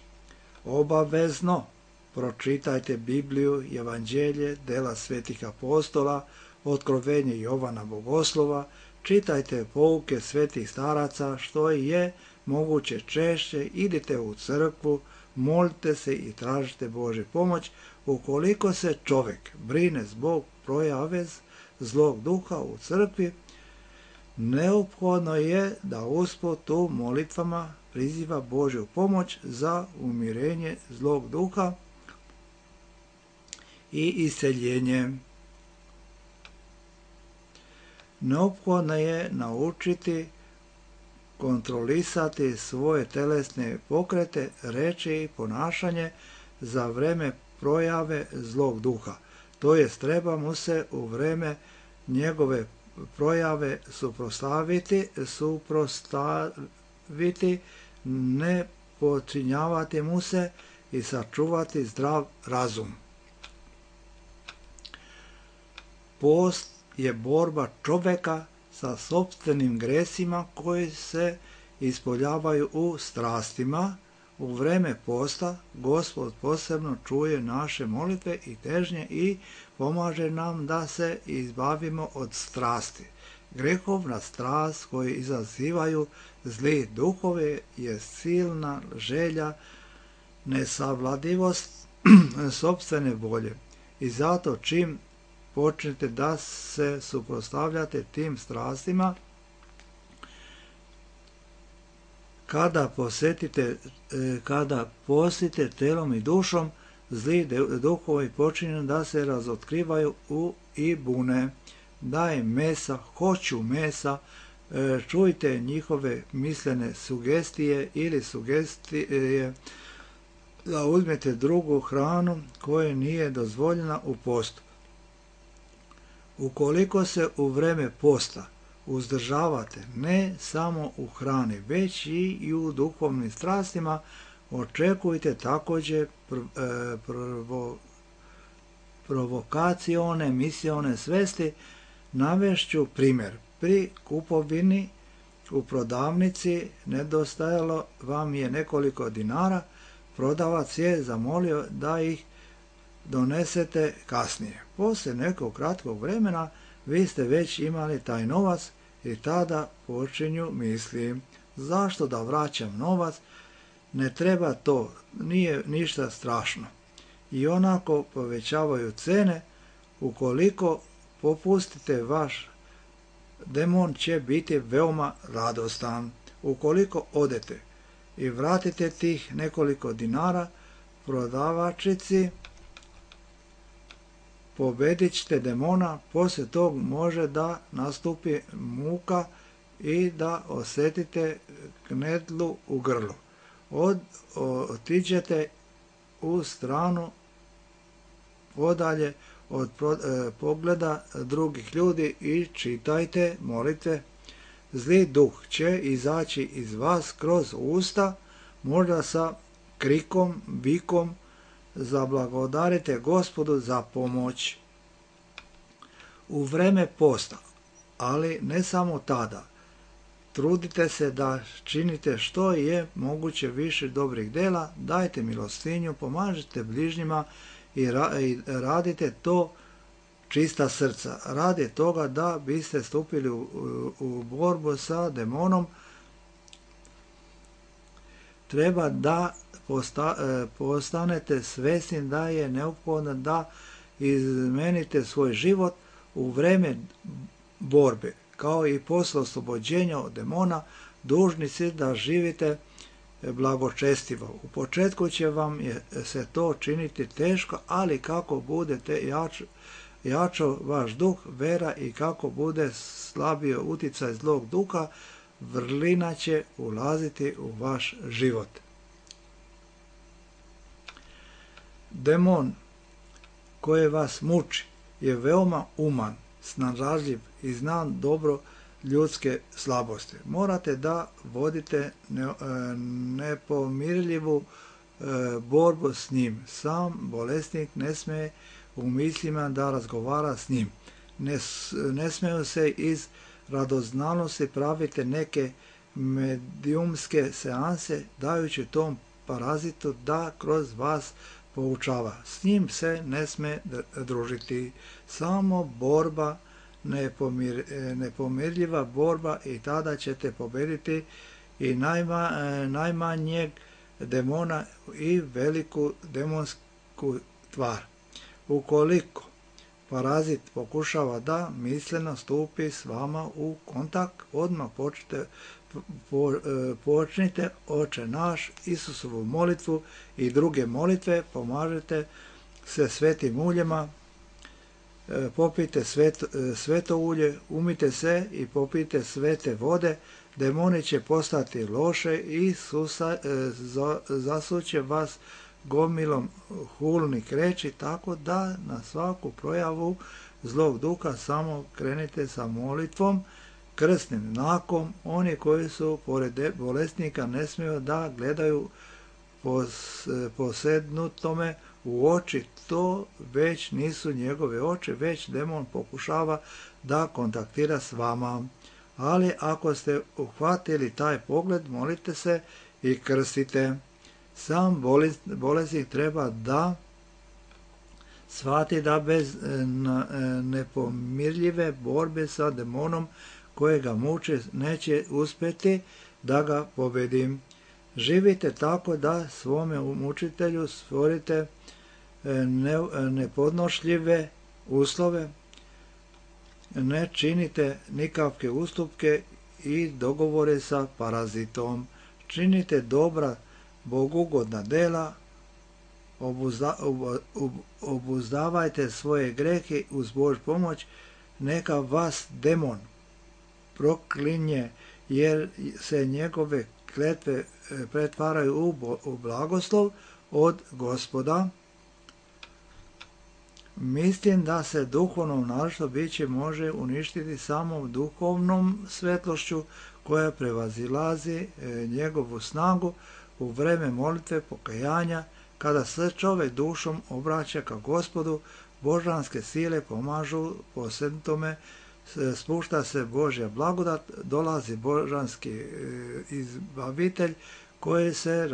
B: Obavezno pročitajte Bibliju, Evanđelje, dela svetih apostola, otkrovenje Jovana Bogoslova, čitajte pouke svetih staraca što je moguće češće, idite u crkvu, molite se i tražite Božju pomoć. Ukoliko se čovjek brine zbog projave zlog duha u crkvi, neophodno je da usput u molitvama priziva Božju pomoć za umirenje zlog duha i iseljenje. Neophodno je naučiti kontrolisati svoje telesne pokrete, reči i ponašanje za vreme projave zlog duha. To jest, treba mu se u vreme njegove projave suprotstaviti, ne počinjavati mu se i sačuvati zdrav razum. Post je borba čoveka sa sopstvenim gresima koji se ispoljavaju u strastima. U vreme posta Gospod posebno čuje naše molitve i težnje i pomaže nam da se izbavimo od strasti. Grehovna strast koju izazivaju zli duhove je silna želja, nesavladivost sopstvene volje. I zato čim počnete da se suprotstavljate tim strastima, kada postite telom i dušom, zli duhovi počinju da se razotkrivaju i bune. Daj mesa, hoću mesa, čujte njihove mislene sugestije ili sugestije da uzmete drugu hranu koja nije dozvoljena u postu. Ukoliko se u vreme posta uzdržavate ne samo u hrani, već i u duhovnim strastima, očekujte također provokacione, misione svesti. Navešću primjer. Pri kupovini u prodavnici nedostajalo vam je nekoliko dinara, prodavac je zamolio da ih donesete kasnije. Poslije nekog kratkog vremena vi ste već imali taj novac i tada počinju misli: zašto da vraćam novac, ne treba to, nije ništa strašno. I onako povećavaju cene. Ukoliko popustite, vaš demon će biti veoma radostan. Ukoliko odete i vratite tih nekoliko dinara prodavačici, pobedit ćete demona, poslije tog može da nastupi muka i da osjetite knedlu u grlu. Otiđete u stranu podalje od pogleda drugih ljudi i čitajte molitve. Zli duh će izaći iz vas kroz usta, možda sa krikom, vikom, zablagodarite Gospodu za pomoć. U vreme posta, ali ne samo tada, trudite se da činite što je moguće više dobrih dela, dajte milostinju, pomažite bližnjima i radite to čista srca. Radi toga da biste stupili u borbu sa demonom, treba da postanete svjesni da je neophodno da izmenite svoj život u vreme borbe. Kao i posle oslobođenja od demona, dužni ste da živite blagočestivo. U početku će vam se to činiti teško, ali kako budete jačo vaš duh, vera i kako bude slabio uticaj zlog duha, vrlina će ulaziti u vaš život. Demon koji vas muči je veoma uman, snalažljiv i zna dobro ljudske slabosti. Morate da vodite nepomirljivu borbu s njim. Sam bolesnik ne smije u mislima da razgovara s njim. Ne smiju se iz radoznalosti pravite neke medijumske seanse, dajući tom parazitu da kroz vas poučava. S njim se ne sme družiti. Samo borba, nepomirljiva borba, i tada ćete pobediti i najmanjeg demona i veliku demonsku tvar. Ukoliko parazit pokušava da misleno stupi s vama u kontakt, odmah počnite Oče naš, Isusovu molitvu i druge molitve, pomažete se svetim uljima, popijte sveto ulje, umite se i popijte svete vode, demoni će postati loše i zasuće vas gomilom hulnih reči, tako da na svaku projavu zlog duha samo krenite sa molitvom, krstnim znakom. Oni koji su pored bolesnika ne smiju da gledaju posednutome u oči, to već nisu njegove oči, već demon pokušava da kontaktira s vama. Ali ako ste uhvatili taj pogled, molite se i krstite. Sam bolesnik treba da shvati da bez nepomirljive borbe sa demonom koje ga muče neće uspjeti da ga pobedim. Živite tako da svome mučitelju stvorite nepodnošljive uslove, ne činite nikakve ustupke i dogovore sa parazitom. Činite dobra, bogugodna dela, obuzdavajte svoje grehe uz Božju pomoć, neka vas demon proklinje, jer se njegove kletve pretvaraju u blagoslov od Gospoda. Mislim da se duhovno našto biće može uništiti samo duhovnom svetlošću koja prevazilazi njegovu snagu u vreme molitve pokajanja, kada se čovjek dušom obraća ka Gospodu, božanske sile pomažu posednutome, spušta se Božja blagodat, dolazi božanski izbavitelj koji se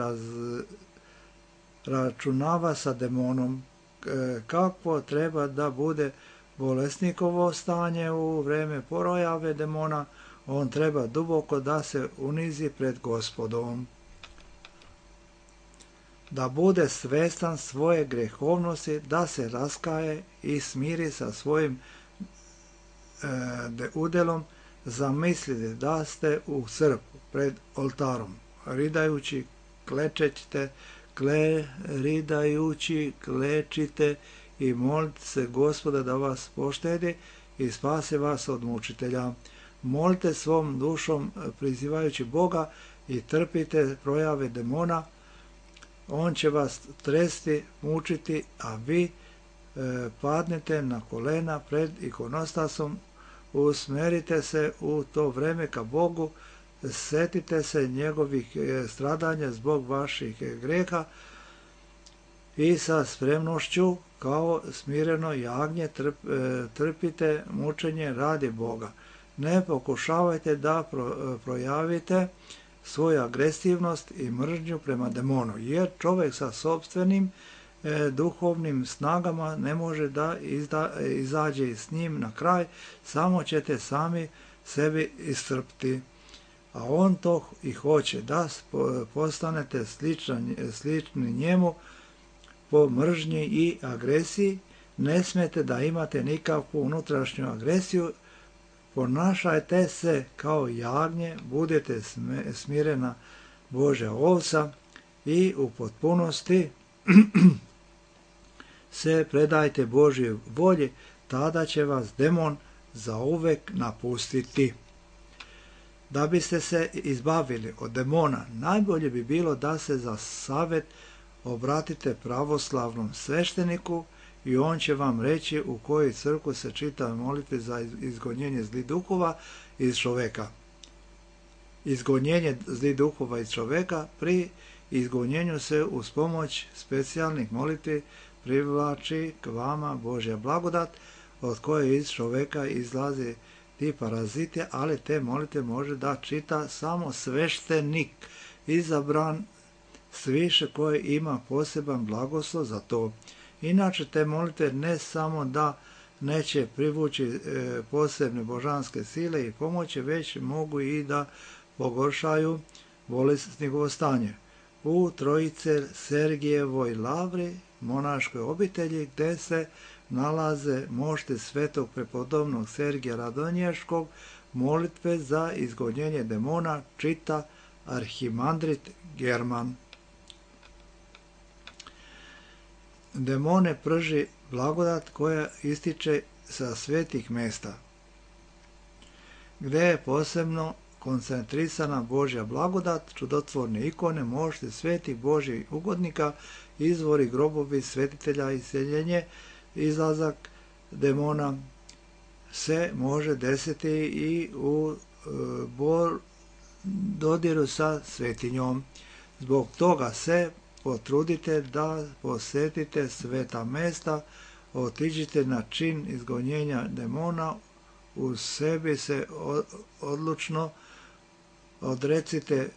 B: računava sa demonom. Kakvo treba da bude bolesnikovo stanje u vreme porojave demona? On treba duboko da se unizi pred Gospodom, da bude svestan svoje grehovnosti, da se raskaje i smiri sa svojim udelom. Zamislite da ste u crkvu pred oltarom, ridajući klečite i molite se Gospoda da vas poštedi i spase vas od mučitelja. Molite svom dušom prizivajući Boga i trpite projave demona. On će vas tresti, mučiti, a vi padnete na kolena pred ikonostasom, usmerite se u to vreme ka Bogu, setite se njegovih stradanja zbog vaših greha i sa spremnošću kao smireno jagnje trpite mučenje radi Boga. Ne pokušavajte da projavite svoju agresivnost i mržnju prema demonu, jer čovjek sa sopstvenim duhovnim snagama ne može da izađe s njim na kraj, samo ćete sami sebi iscrpiti. A on to i hoće, da postanete slični njemu po mržnji i agresiji. Ne smijete da imate nikakvu unutrašnju agresiju, ponašajte se kao jagnje, budete smirena Božja ovca i u potpunosti se predajte Božjoj volji, tada će vas demon zauvek napustiti. Da biste se izbavili od demona, najbolje bi bilo da se za savjet obratite pravoslavnom svešteniku i on će vam reći u kojoj crkvi se čita molitve za izgonjenje zlih duhova iz čoveka. Izgonjenje zlih duhova iz čoveka, pri izgonjenju se uz pomoć specijalnih molitvi privlači k vama Božja blagodat, od koje iz čoveka izlazi ti paraziti, ali te molitve može da čita samo sveštenik, izabran sviše koji ima poseban blagoslov za to. Inače te molitve ne samo da neće privući posebne božanske sile i pomoći, već mogu i da pogoršaju bolesnikovo stanje. U Trojice Sergijevoj lavri, monaškoj obitelji, gde se nalaze mošte svetog prepodobnog Sergija Radonješkog, molitve za izgonjenje demona čita arhimandrit German. Demone prži blagodat koja ističe sa svetih mesta, gde je posebno koncentrisana Božja blagodat, čudotvorne ikone, mošte svetih Božjih ugodnika, izvori, grobovi svetitelja, iseljenje, izlazak demona se može desiti i u dodiru sa svetinjom. Zbog toga se potrudite da posetite sveta mesta, otiđite na čin izgonjenja demona, u sebi se odlučno odrecite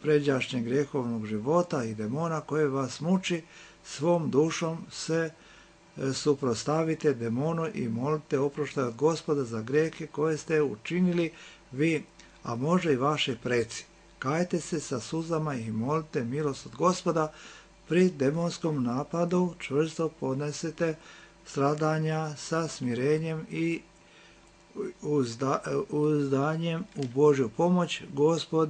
B: pređašnjeg grehovnog života i demona koje vas muči, svom dušom se suprostavite demonu i molite oproštaj od Gospoda za grehe koje ste učinili vi, a može i vaši preci. Kajte se sa suzama i molite milost od Gospoda. Pri demonskom napadu čvrsto podnesete stradanja sa smirenjem i uzdanjem u Božju pomoć. Gospod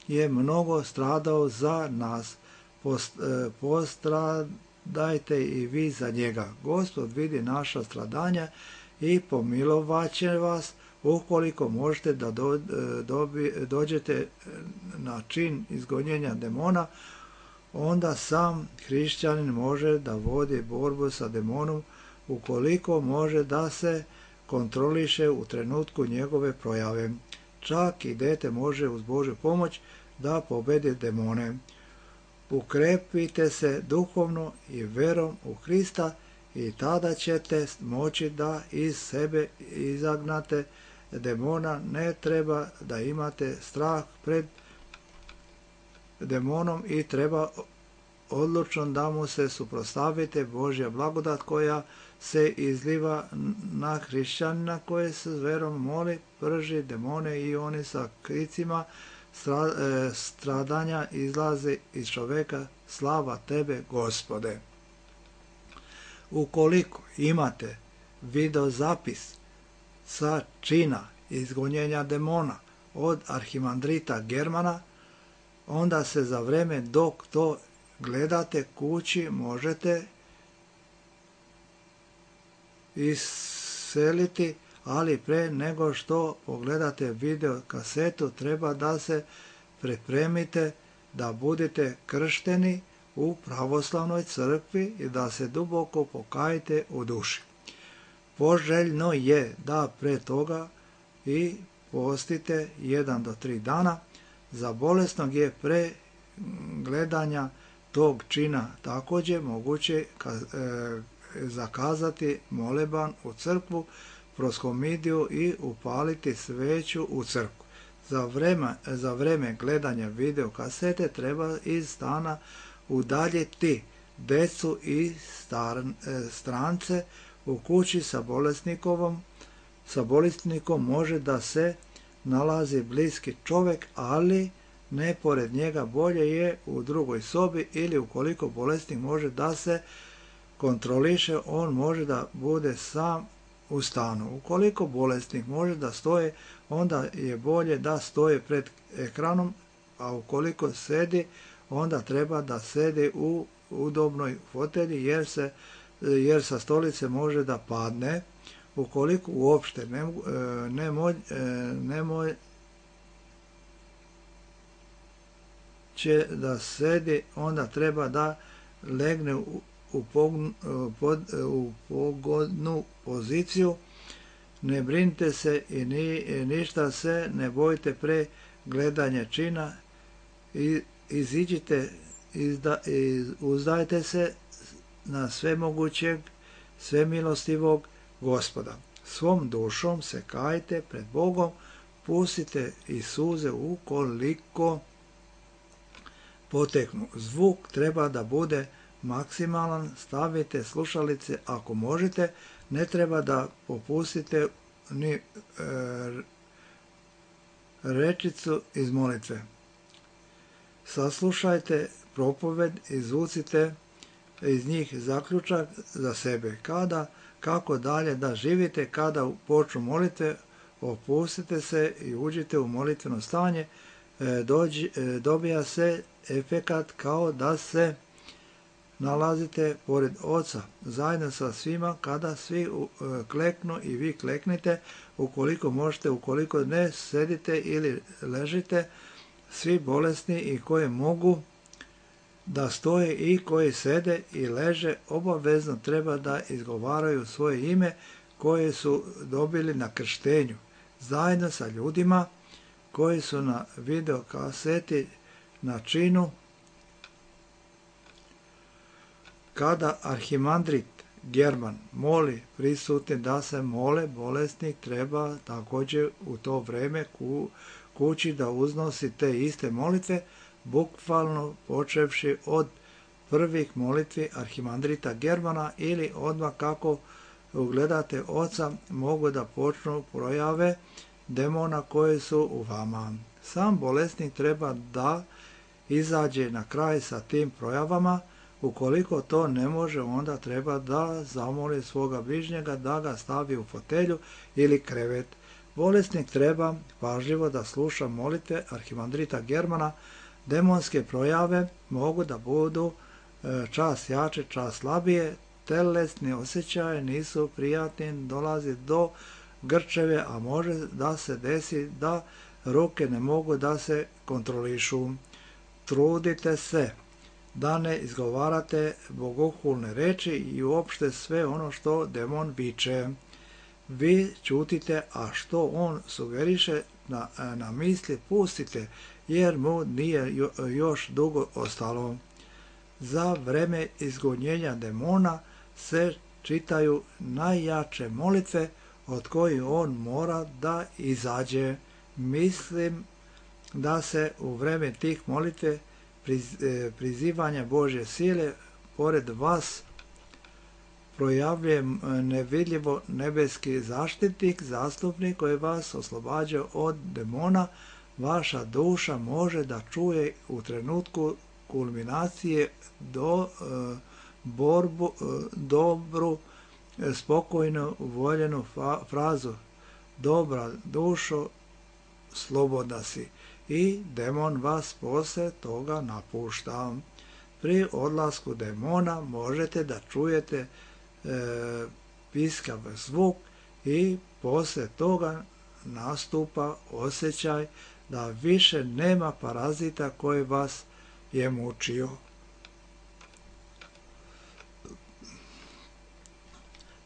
B: je mnogo stradao za nas. Postradajte i vi za njega. Gospod vidi naša stradanja i pomilovaće vas. Ukoliko možete da dođete na čin izgonjenja demona, onda sam hrišćanin može da vodi borbu sa demonom, ukoliko može da se kontroliše u trenutku njegove projave. Čak i dete može uz Božju pomoć da pobedi demone. Ukrepite se duhovno i verom u Hrista i tada ćete moći da iz sebe izagnate demona. Ne treba da imate strah pred demonom i treba odlučno da mu se suprotstavite. Božja blagodat koja se izliva na hrišćanina koje se s verom moli, prži demone i oni sa kricima stradanja izlaze iz čoveka. Slava tebe, Gospode. Ukoliko imate videozapis sa čina izgonjenja demona od arhimandrita Germana, onda se za vreme dok to gledate kući možete iseliti, ali pre nego što pogledate video kasetu treba da se pripremite da budete kršteni u pravoslavnoj crkvi i da se duboko pokajete u duši. Poželjno je da pre toga i postite 1 do 3 dana. Za bolesnog je pre gledanja tog čina također moguće zakazati moleban u crkvu, proskomidiju i upaliti sveću u crkvu. Za vreme gledanja video kasete treba iz stana udaljiti decu i strance. U kući sa bolesnikom može da se nalazi bliski čovjek, ali ne pored njega, bolje je u drugoj sobi, ili ukoliko bolesnik može da se kontroliše, on može da bude sam u stanu. Ukoliko bolesnik može da stoje, onda je bolje da stoje pred ekranom, a ukoliko sedi, onda treba da sedi u udobnoj fotelji, jer sa stolice može da padne. Ukoliko uopšte ne će da sedi, onda treba da legne u pogodnu poziciju. Ne brinite se i ništa se ne bojite pre gledanja čina. Iziđite, uzdajte se na svemogućeg, svemilostivog Gospoda. Svom dušom se kajte pred Bogom, pustite i suze ukoliko poteknu. Zvuk treba da bude maksimalan, stavite slušalice ako možete, ne treba da popustite ni rečicu iz molitve. Saslušajte propoved, izvucite iz njih zaključak za sebe. Kako dalje da živite, kada počnu molitve, opustite se i uđite u molitveno stanje, dobija se efekat kao da se nalazite pored Oca, zajedno sa svima. Kada svi kleknu i vi kleknite, ukoliko možete, ukoliko ne, sedite ili ležite. Svi bolesni i koji mogu da stoje i koji sede i leže, obavezno treba da izgovaraju svoje ime koje su dobili na krštenju, zajedno sa ljudima koji su na video kaseti na činu. Kada arhimandrit German moli prisutni da se mole, bolesnik treba također u to vreme kući da uznosi te iste molitve, bukvalno počevši od prvih molitvi arhimandrita Germana, ili odmah kako ugledate Oca mogu da počnu projave demona koje su u vama. Sam bolesnik treba da izađe na kraj sa tim projavama. Ukoliko to ne može, onda treba da zamoli svoga bližnjega da ga stavi u fotelju ili krevet. Bolesnik treba pažljivo da sluša molitve arhimandrita Germana. Demonske projave mogu da budu čas jače, čas slabije, telesni osjećaje nisu prijatni, dolazi do grčeve, a može da se desi da ruke ne mogu da se kontrolišu. Trudite se da ne izgovarate bogohulne reči i uopšte sve ono što demon viče. Vi ćutite, a što on sugeriše na misli pustite, jer mu nije još dugo ostalo. Za vreme izgonjenja demona se čitaju najjače molitve od kojih on mora da izađe. Mislim da se u vreme tih molitve prizivanja Božje sile pored vas projavljuje nevidljivo nebeski zaštitnik, zastupnik koji vas oslobađa od demona. Vaša duša može da čuje u trenutku kulminacije dobru, spokojno voljenu frazu: dobra dušo, slobodna si. i demon vas poslije toga napušta. Pri odlasku demona možete da čujete piskav zvuk i poslije toga nastupa osjećaj da više nema parazita koji vas je mučio.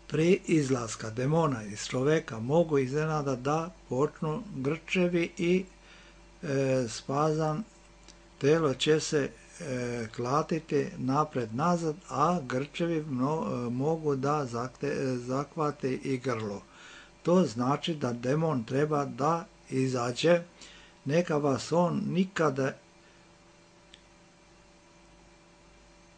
B: Pri izlaska demona iz čoveka mogu iznenada da počnu grčevi i spazam, telo će se klatiti napred-nazad, a grčevi mogu da zakvate i grlo. To znači da demon treba da izađe, neka vas on nikada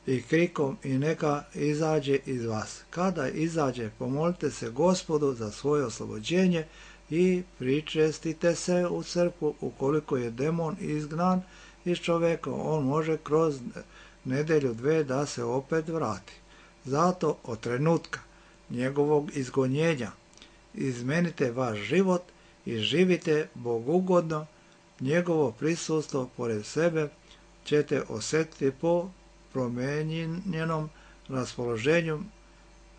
B: i krikom i neka izađe iz vas. Kada izađe, pomolite se Gospodu za svoje oslobođenje i pričestite se u crkvu. Ukoliko je demon izgnan iz čoveka, on može kroz nedelju, dve da se opet vrati. Zato od trenutka njegovog izgonjenja izmenite vaš život i živite bogugodno. Njegovo prisustvo pored sebe ćete osjetiti po promijenjenom raspoloženju,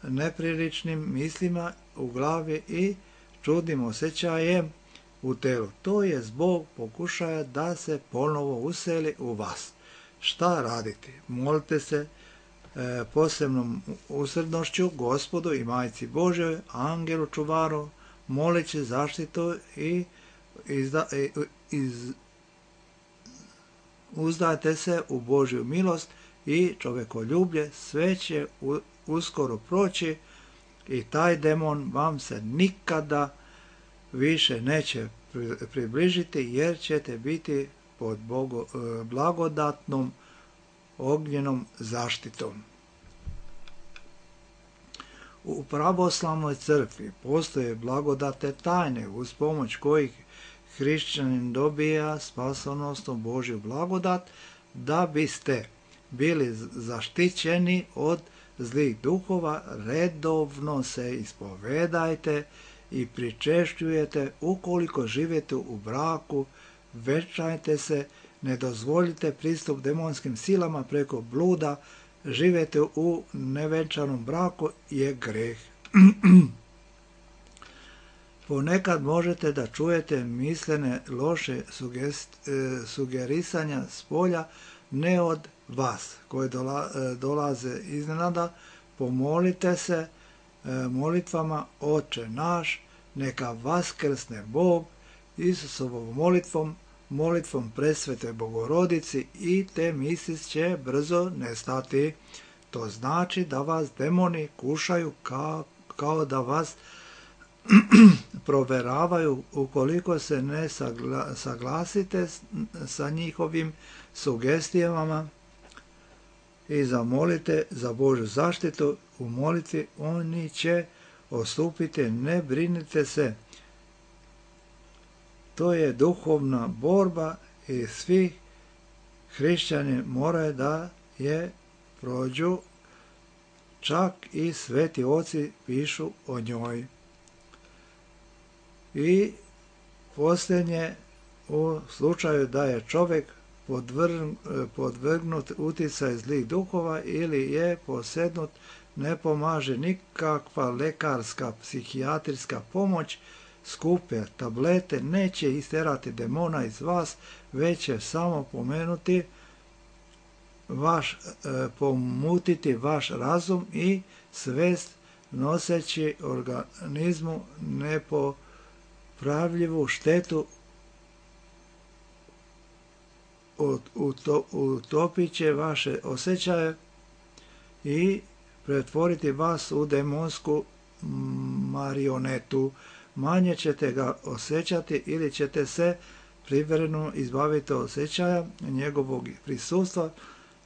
B: nepriličnim mislima u glavi i čudnim osjećajem u telu. To je zbog pokušaja da se ponovo useli u vas. Šta raditi? Molite se posebnom usrednošću Gospodu i Majci Božjoj, angelu čuvaru, moleći zaštitu i uzdajte se u Božju milost i čovekoljublje. Sve će uskoro proći i taj demon vam se nikada više neće približiti, jer ćete biti pod blagodatnom ognjenom zaštitom. U pravoslavnoj crkvi postoje blagodate tajne uz pomoć kojih hrišćanin dobija spasonosnu Božju blagodat. Da biste bili zaštićeni od zlih duhova, redovno se ispovedajte i pričešćujete. Ukoliko živite u braku, venčajte se, ne dozvolite pristup demonskim silama preko bluda. Živete u nevenčanom braku je greh. Ponekad možete da čujete mislene loše sugerisanja s polja, ne od vas, koje dolaze iznenada. Pomolite se molitvama Oče naš, neka vaskrsne Bog Isusovom molitvom presvete Bogorodici i te misli će brzo nestati. To znači da vas demoni kušaju kao da vas proveravaju. Ukoliko se ne saglasite sa njihovim sugestijama i zamolite za Božju zaštitu u molitvi, oni će ostupiti. Ne brinite se. To je duhovna borba i svi hrišćani moraju da je prođu. Čak i sveti oci pišu o njoj. I posljednje, u slučaju da je čovjek podvrgnut utjecaj zlih duhova ili je posednut, ne pomaže nikakva lekarska, psihijatrijska pomoć. Skupe tablete neće isterati demona iz vas, već će samo pomutiti vaš razum i svest, noseći organizmu nepopravljivu štetu. Utopit će vaše osjećaje i pretvoriti vas u demonsku marionetu. Manje ćete ga osjećati ili ćete se privremeno izbaviti osjećaja njegovog prisustva.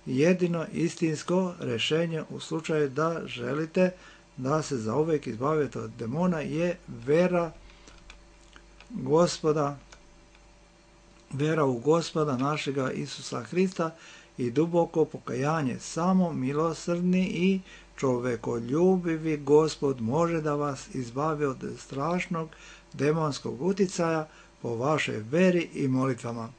B: Jedino istinsko rješenje u slučaju da želite da se zauvijek izbavite od demona je vera u Gospoda našega Isusa Hrista i duboko pokajanje. Samo milosrdni i čovekoljubivi Gospod može da vas izbavi od strašnog demonskog utjecaja po vašoj veri i molitvama.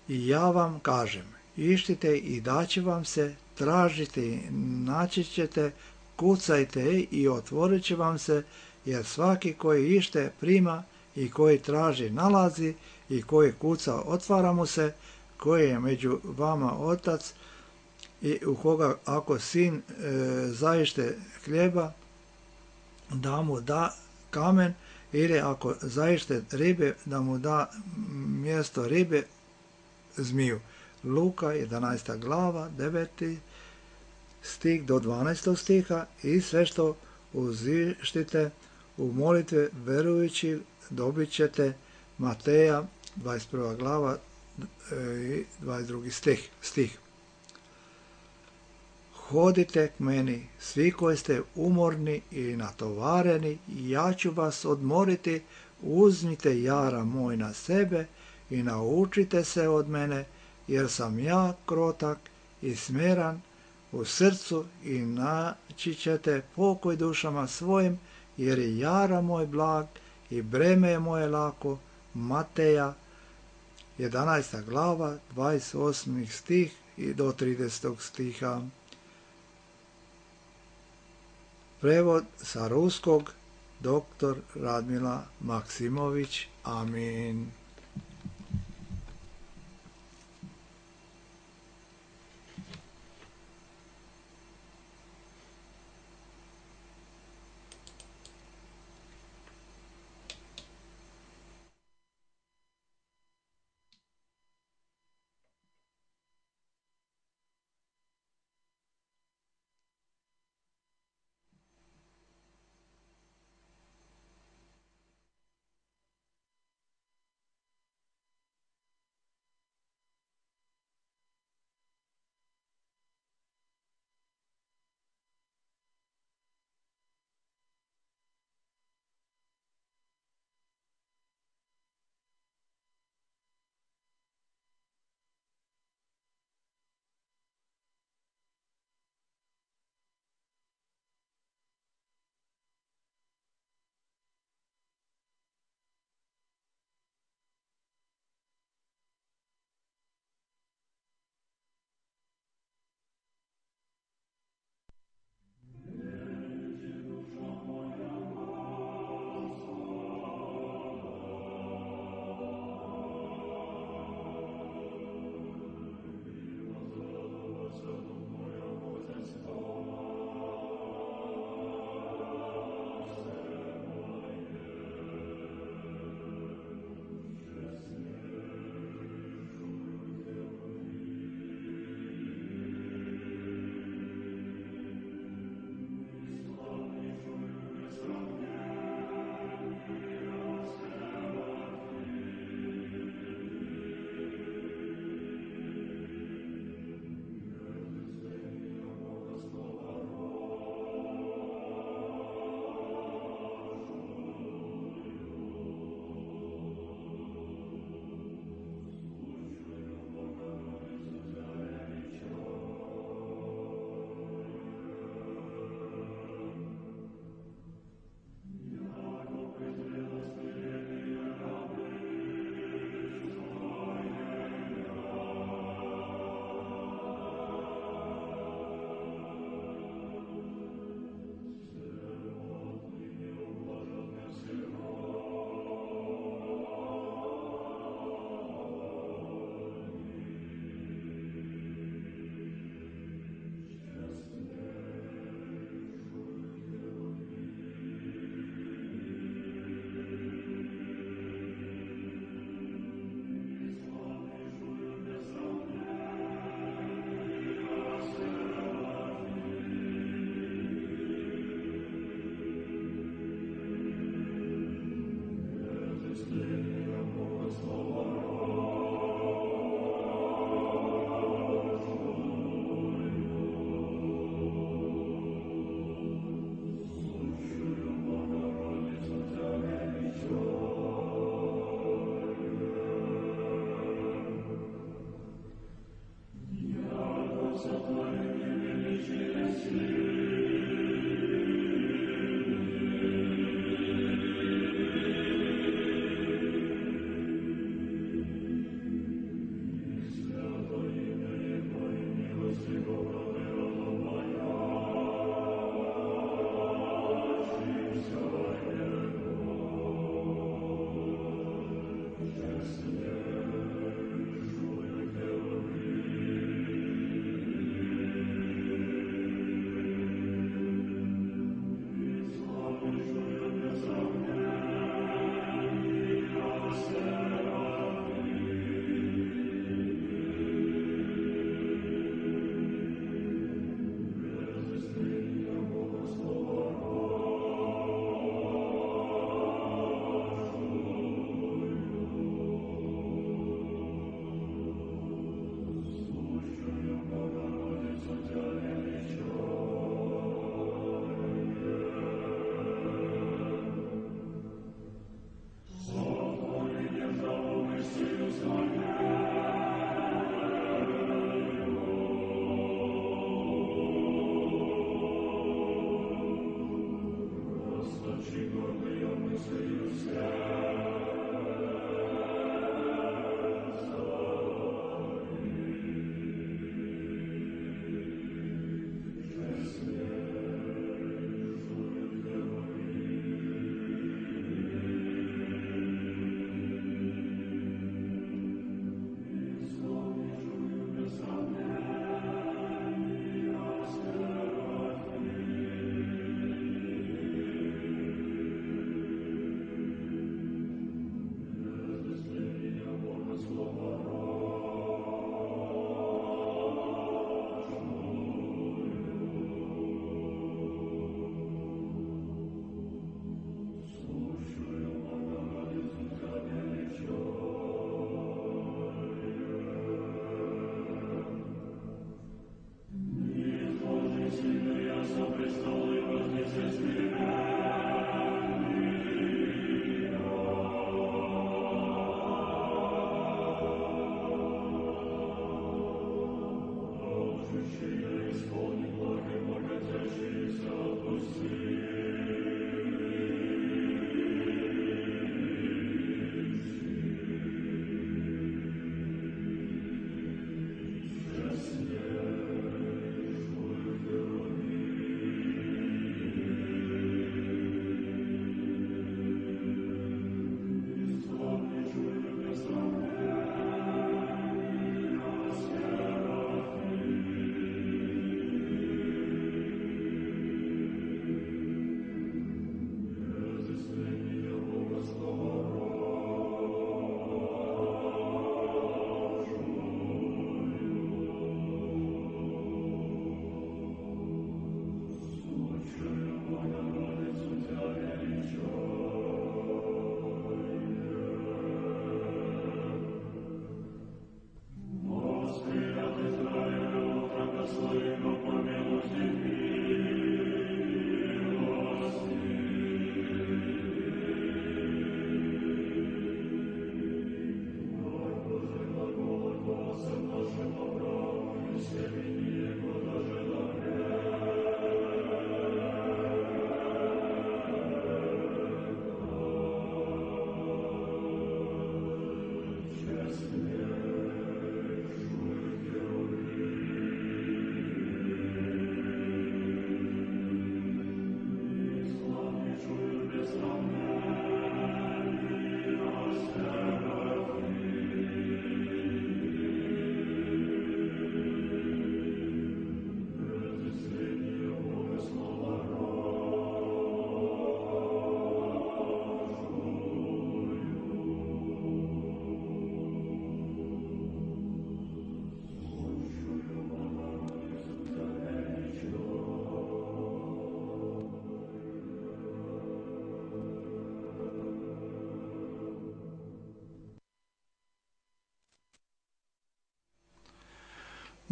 B: I ja vam kažem, ištite i daće vam se, tražite i naći ćete, kucajte i otvorit će vam se, jer svaki koji ište prima i koji traži nalazi i koji kuca otvara mu se, koji je među vama otac i u koga ako sin zaište hljeba, da mu da kamen, ili ako zaište ribe, da mu da mjesto ribe zmiju. Luka 11. glava 9. stih do 12. stiha i sve što uzištite u molitve verujući dobit ćete. Mateja 21. glava i 22. stih. Hodite k meni, svi koji ste umorni i natovareni, i ja ću vas odmoriti. Uzmite jara moj na sebe i naučite se od mene, jer sam ja krotak i smiren u srcu, i naći ćete pokoj dušama svojim, jer je jara moj blag i breme je moje lako. Mateja 11. glava 28. stih i do 30. stiha. Prevod sa ruskog dr. Radmila Maksimović. Amin.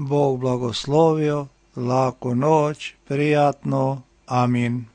B: Bog blagoslovio, laku noć, prijatno, amin.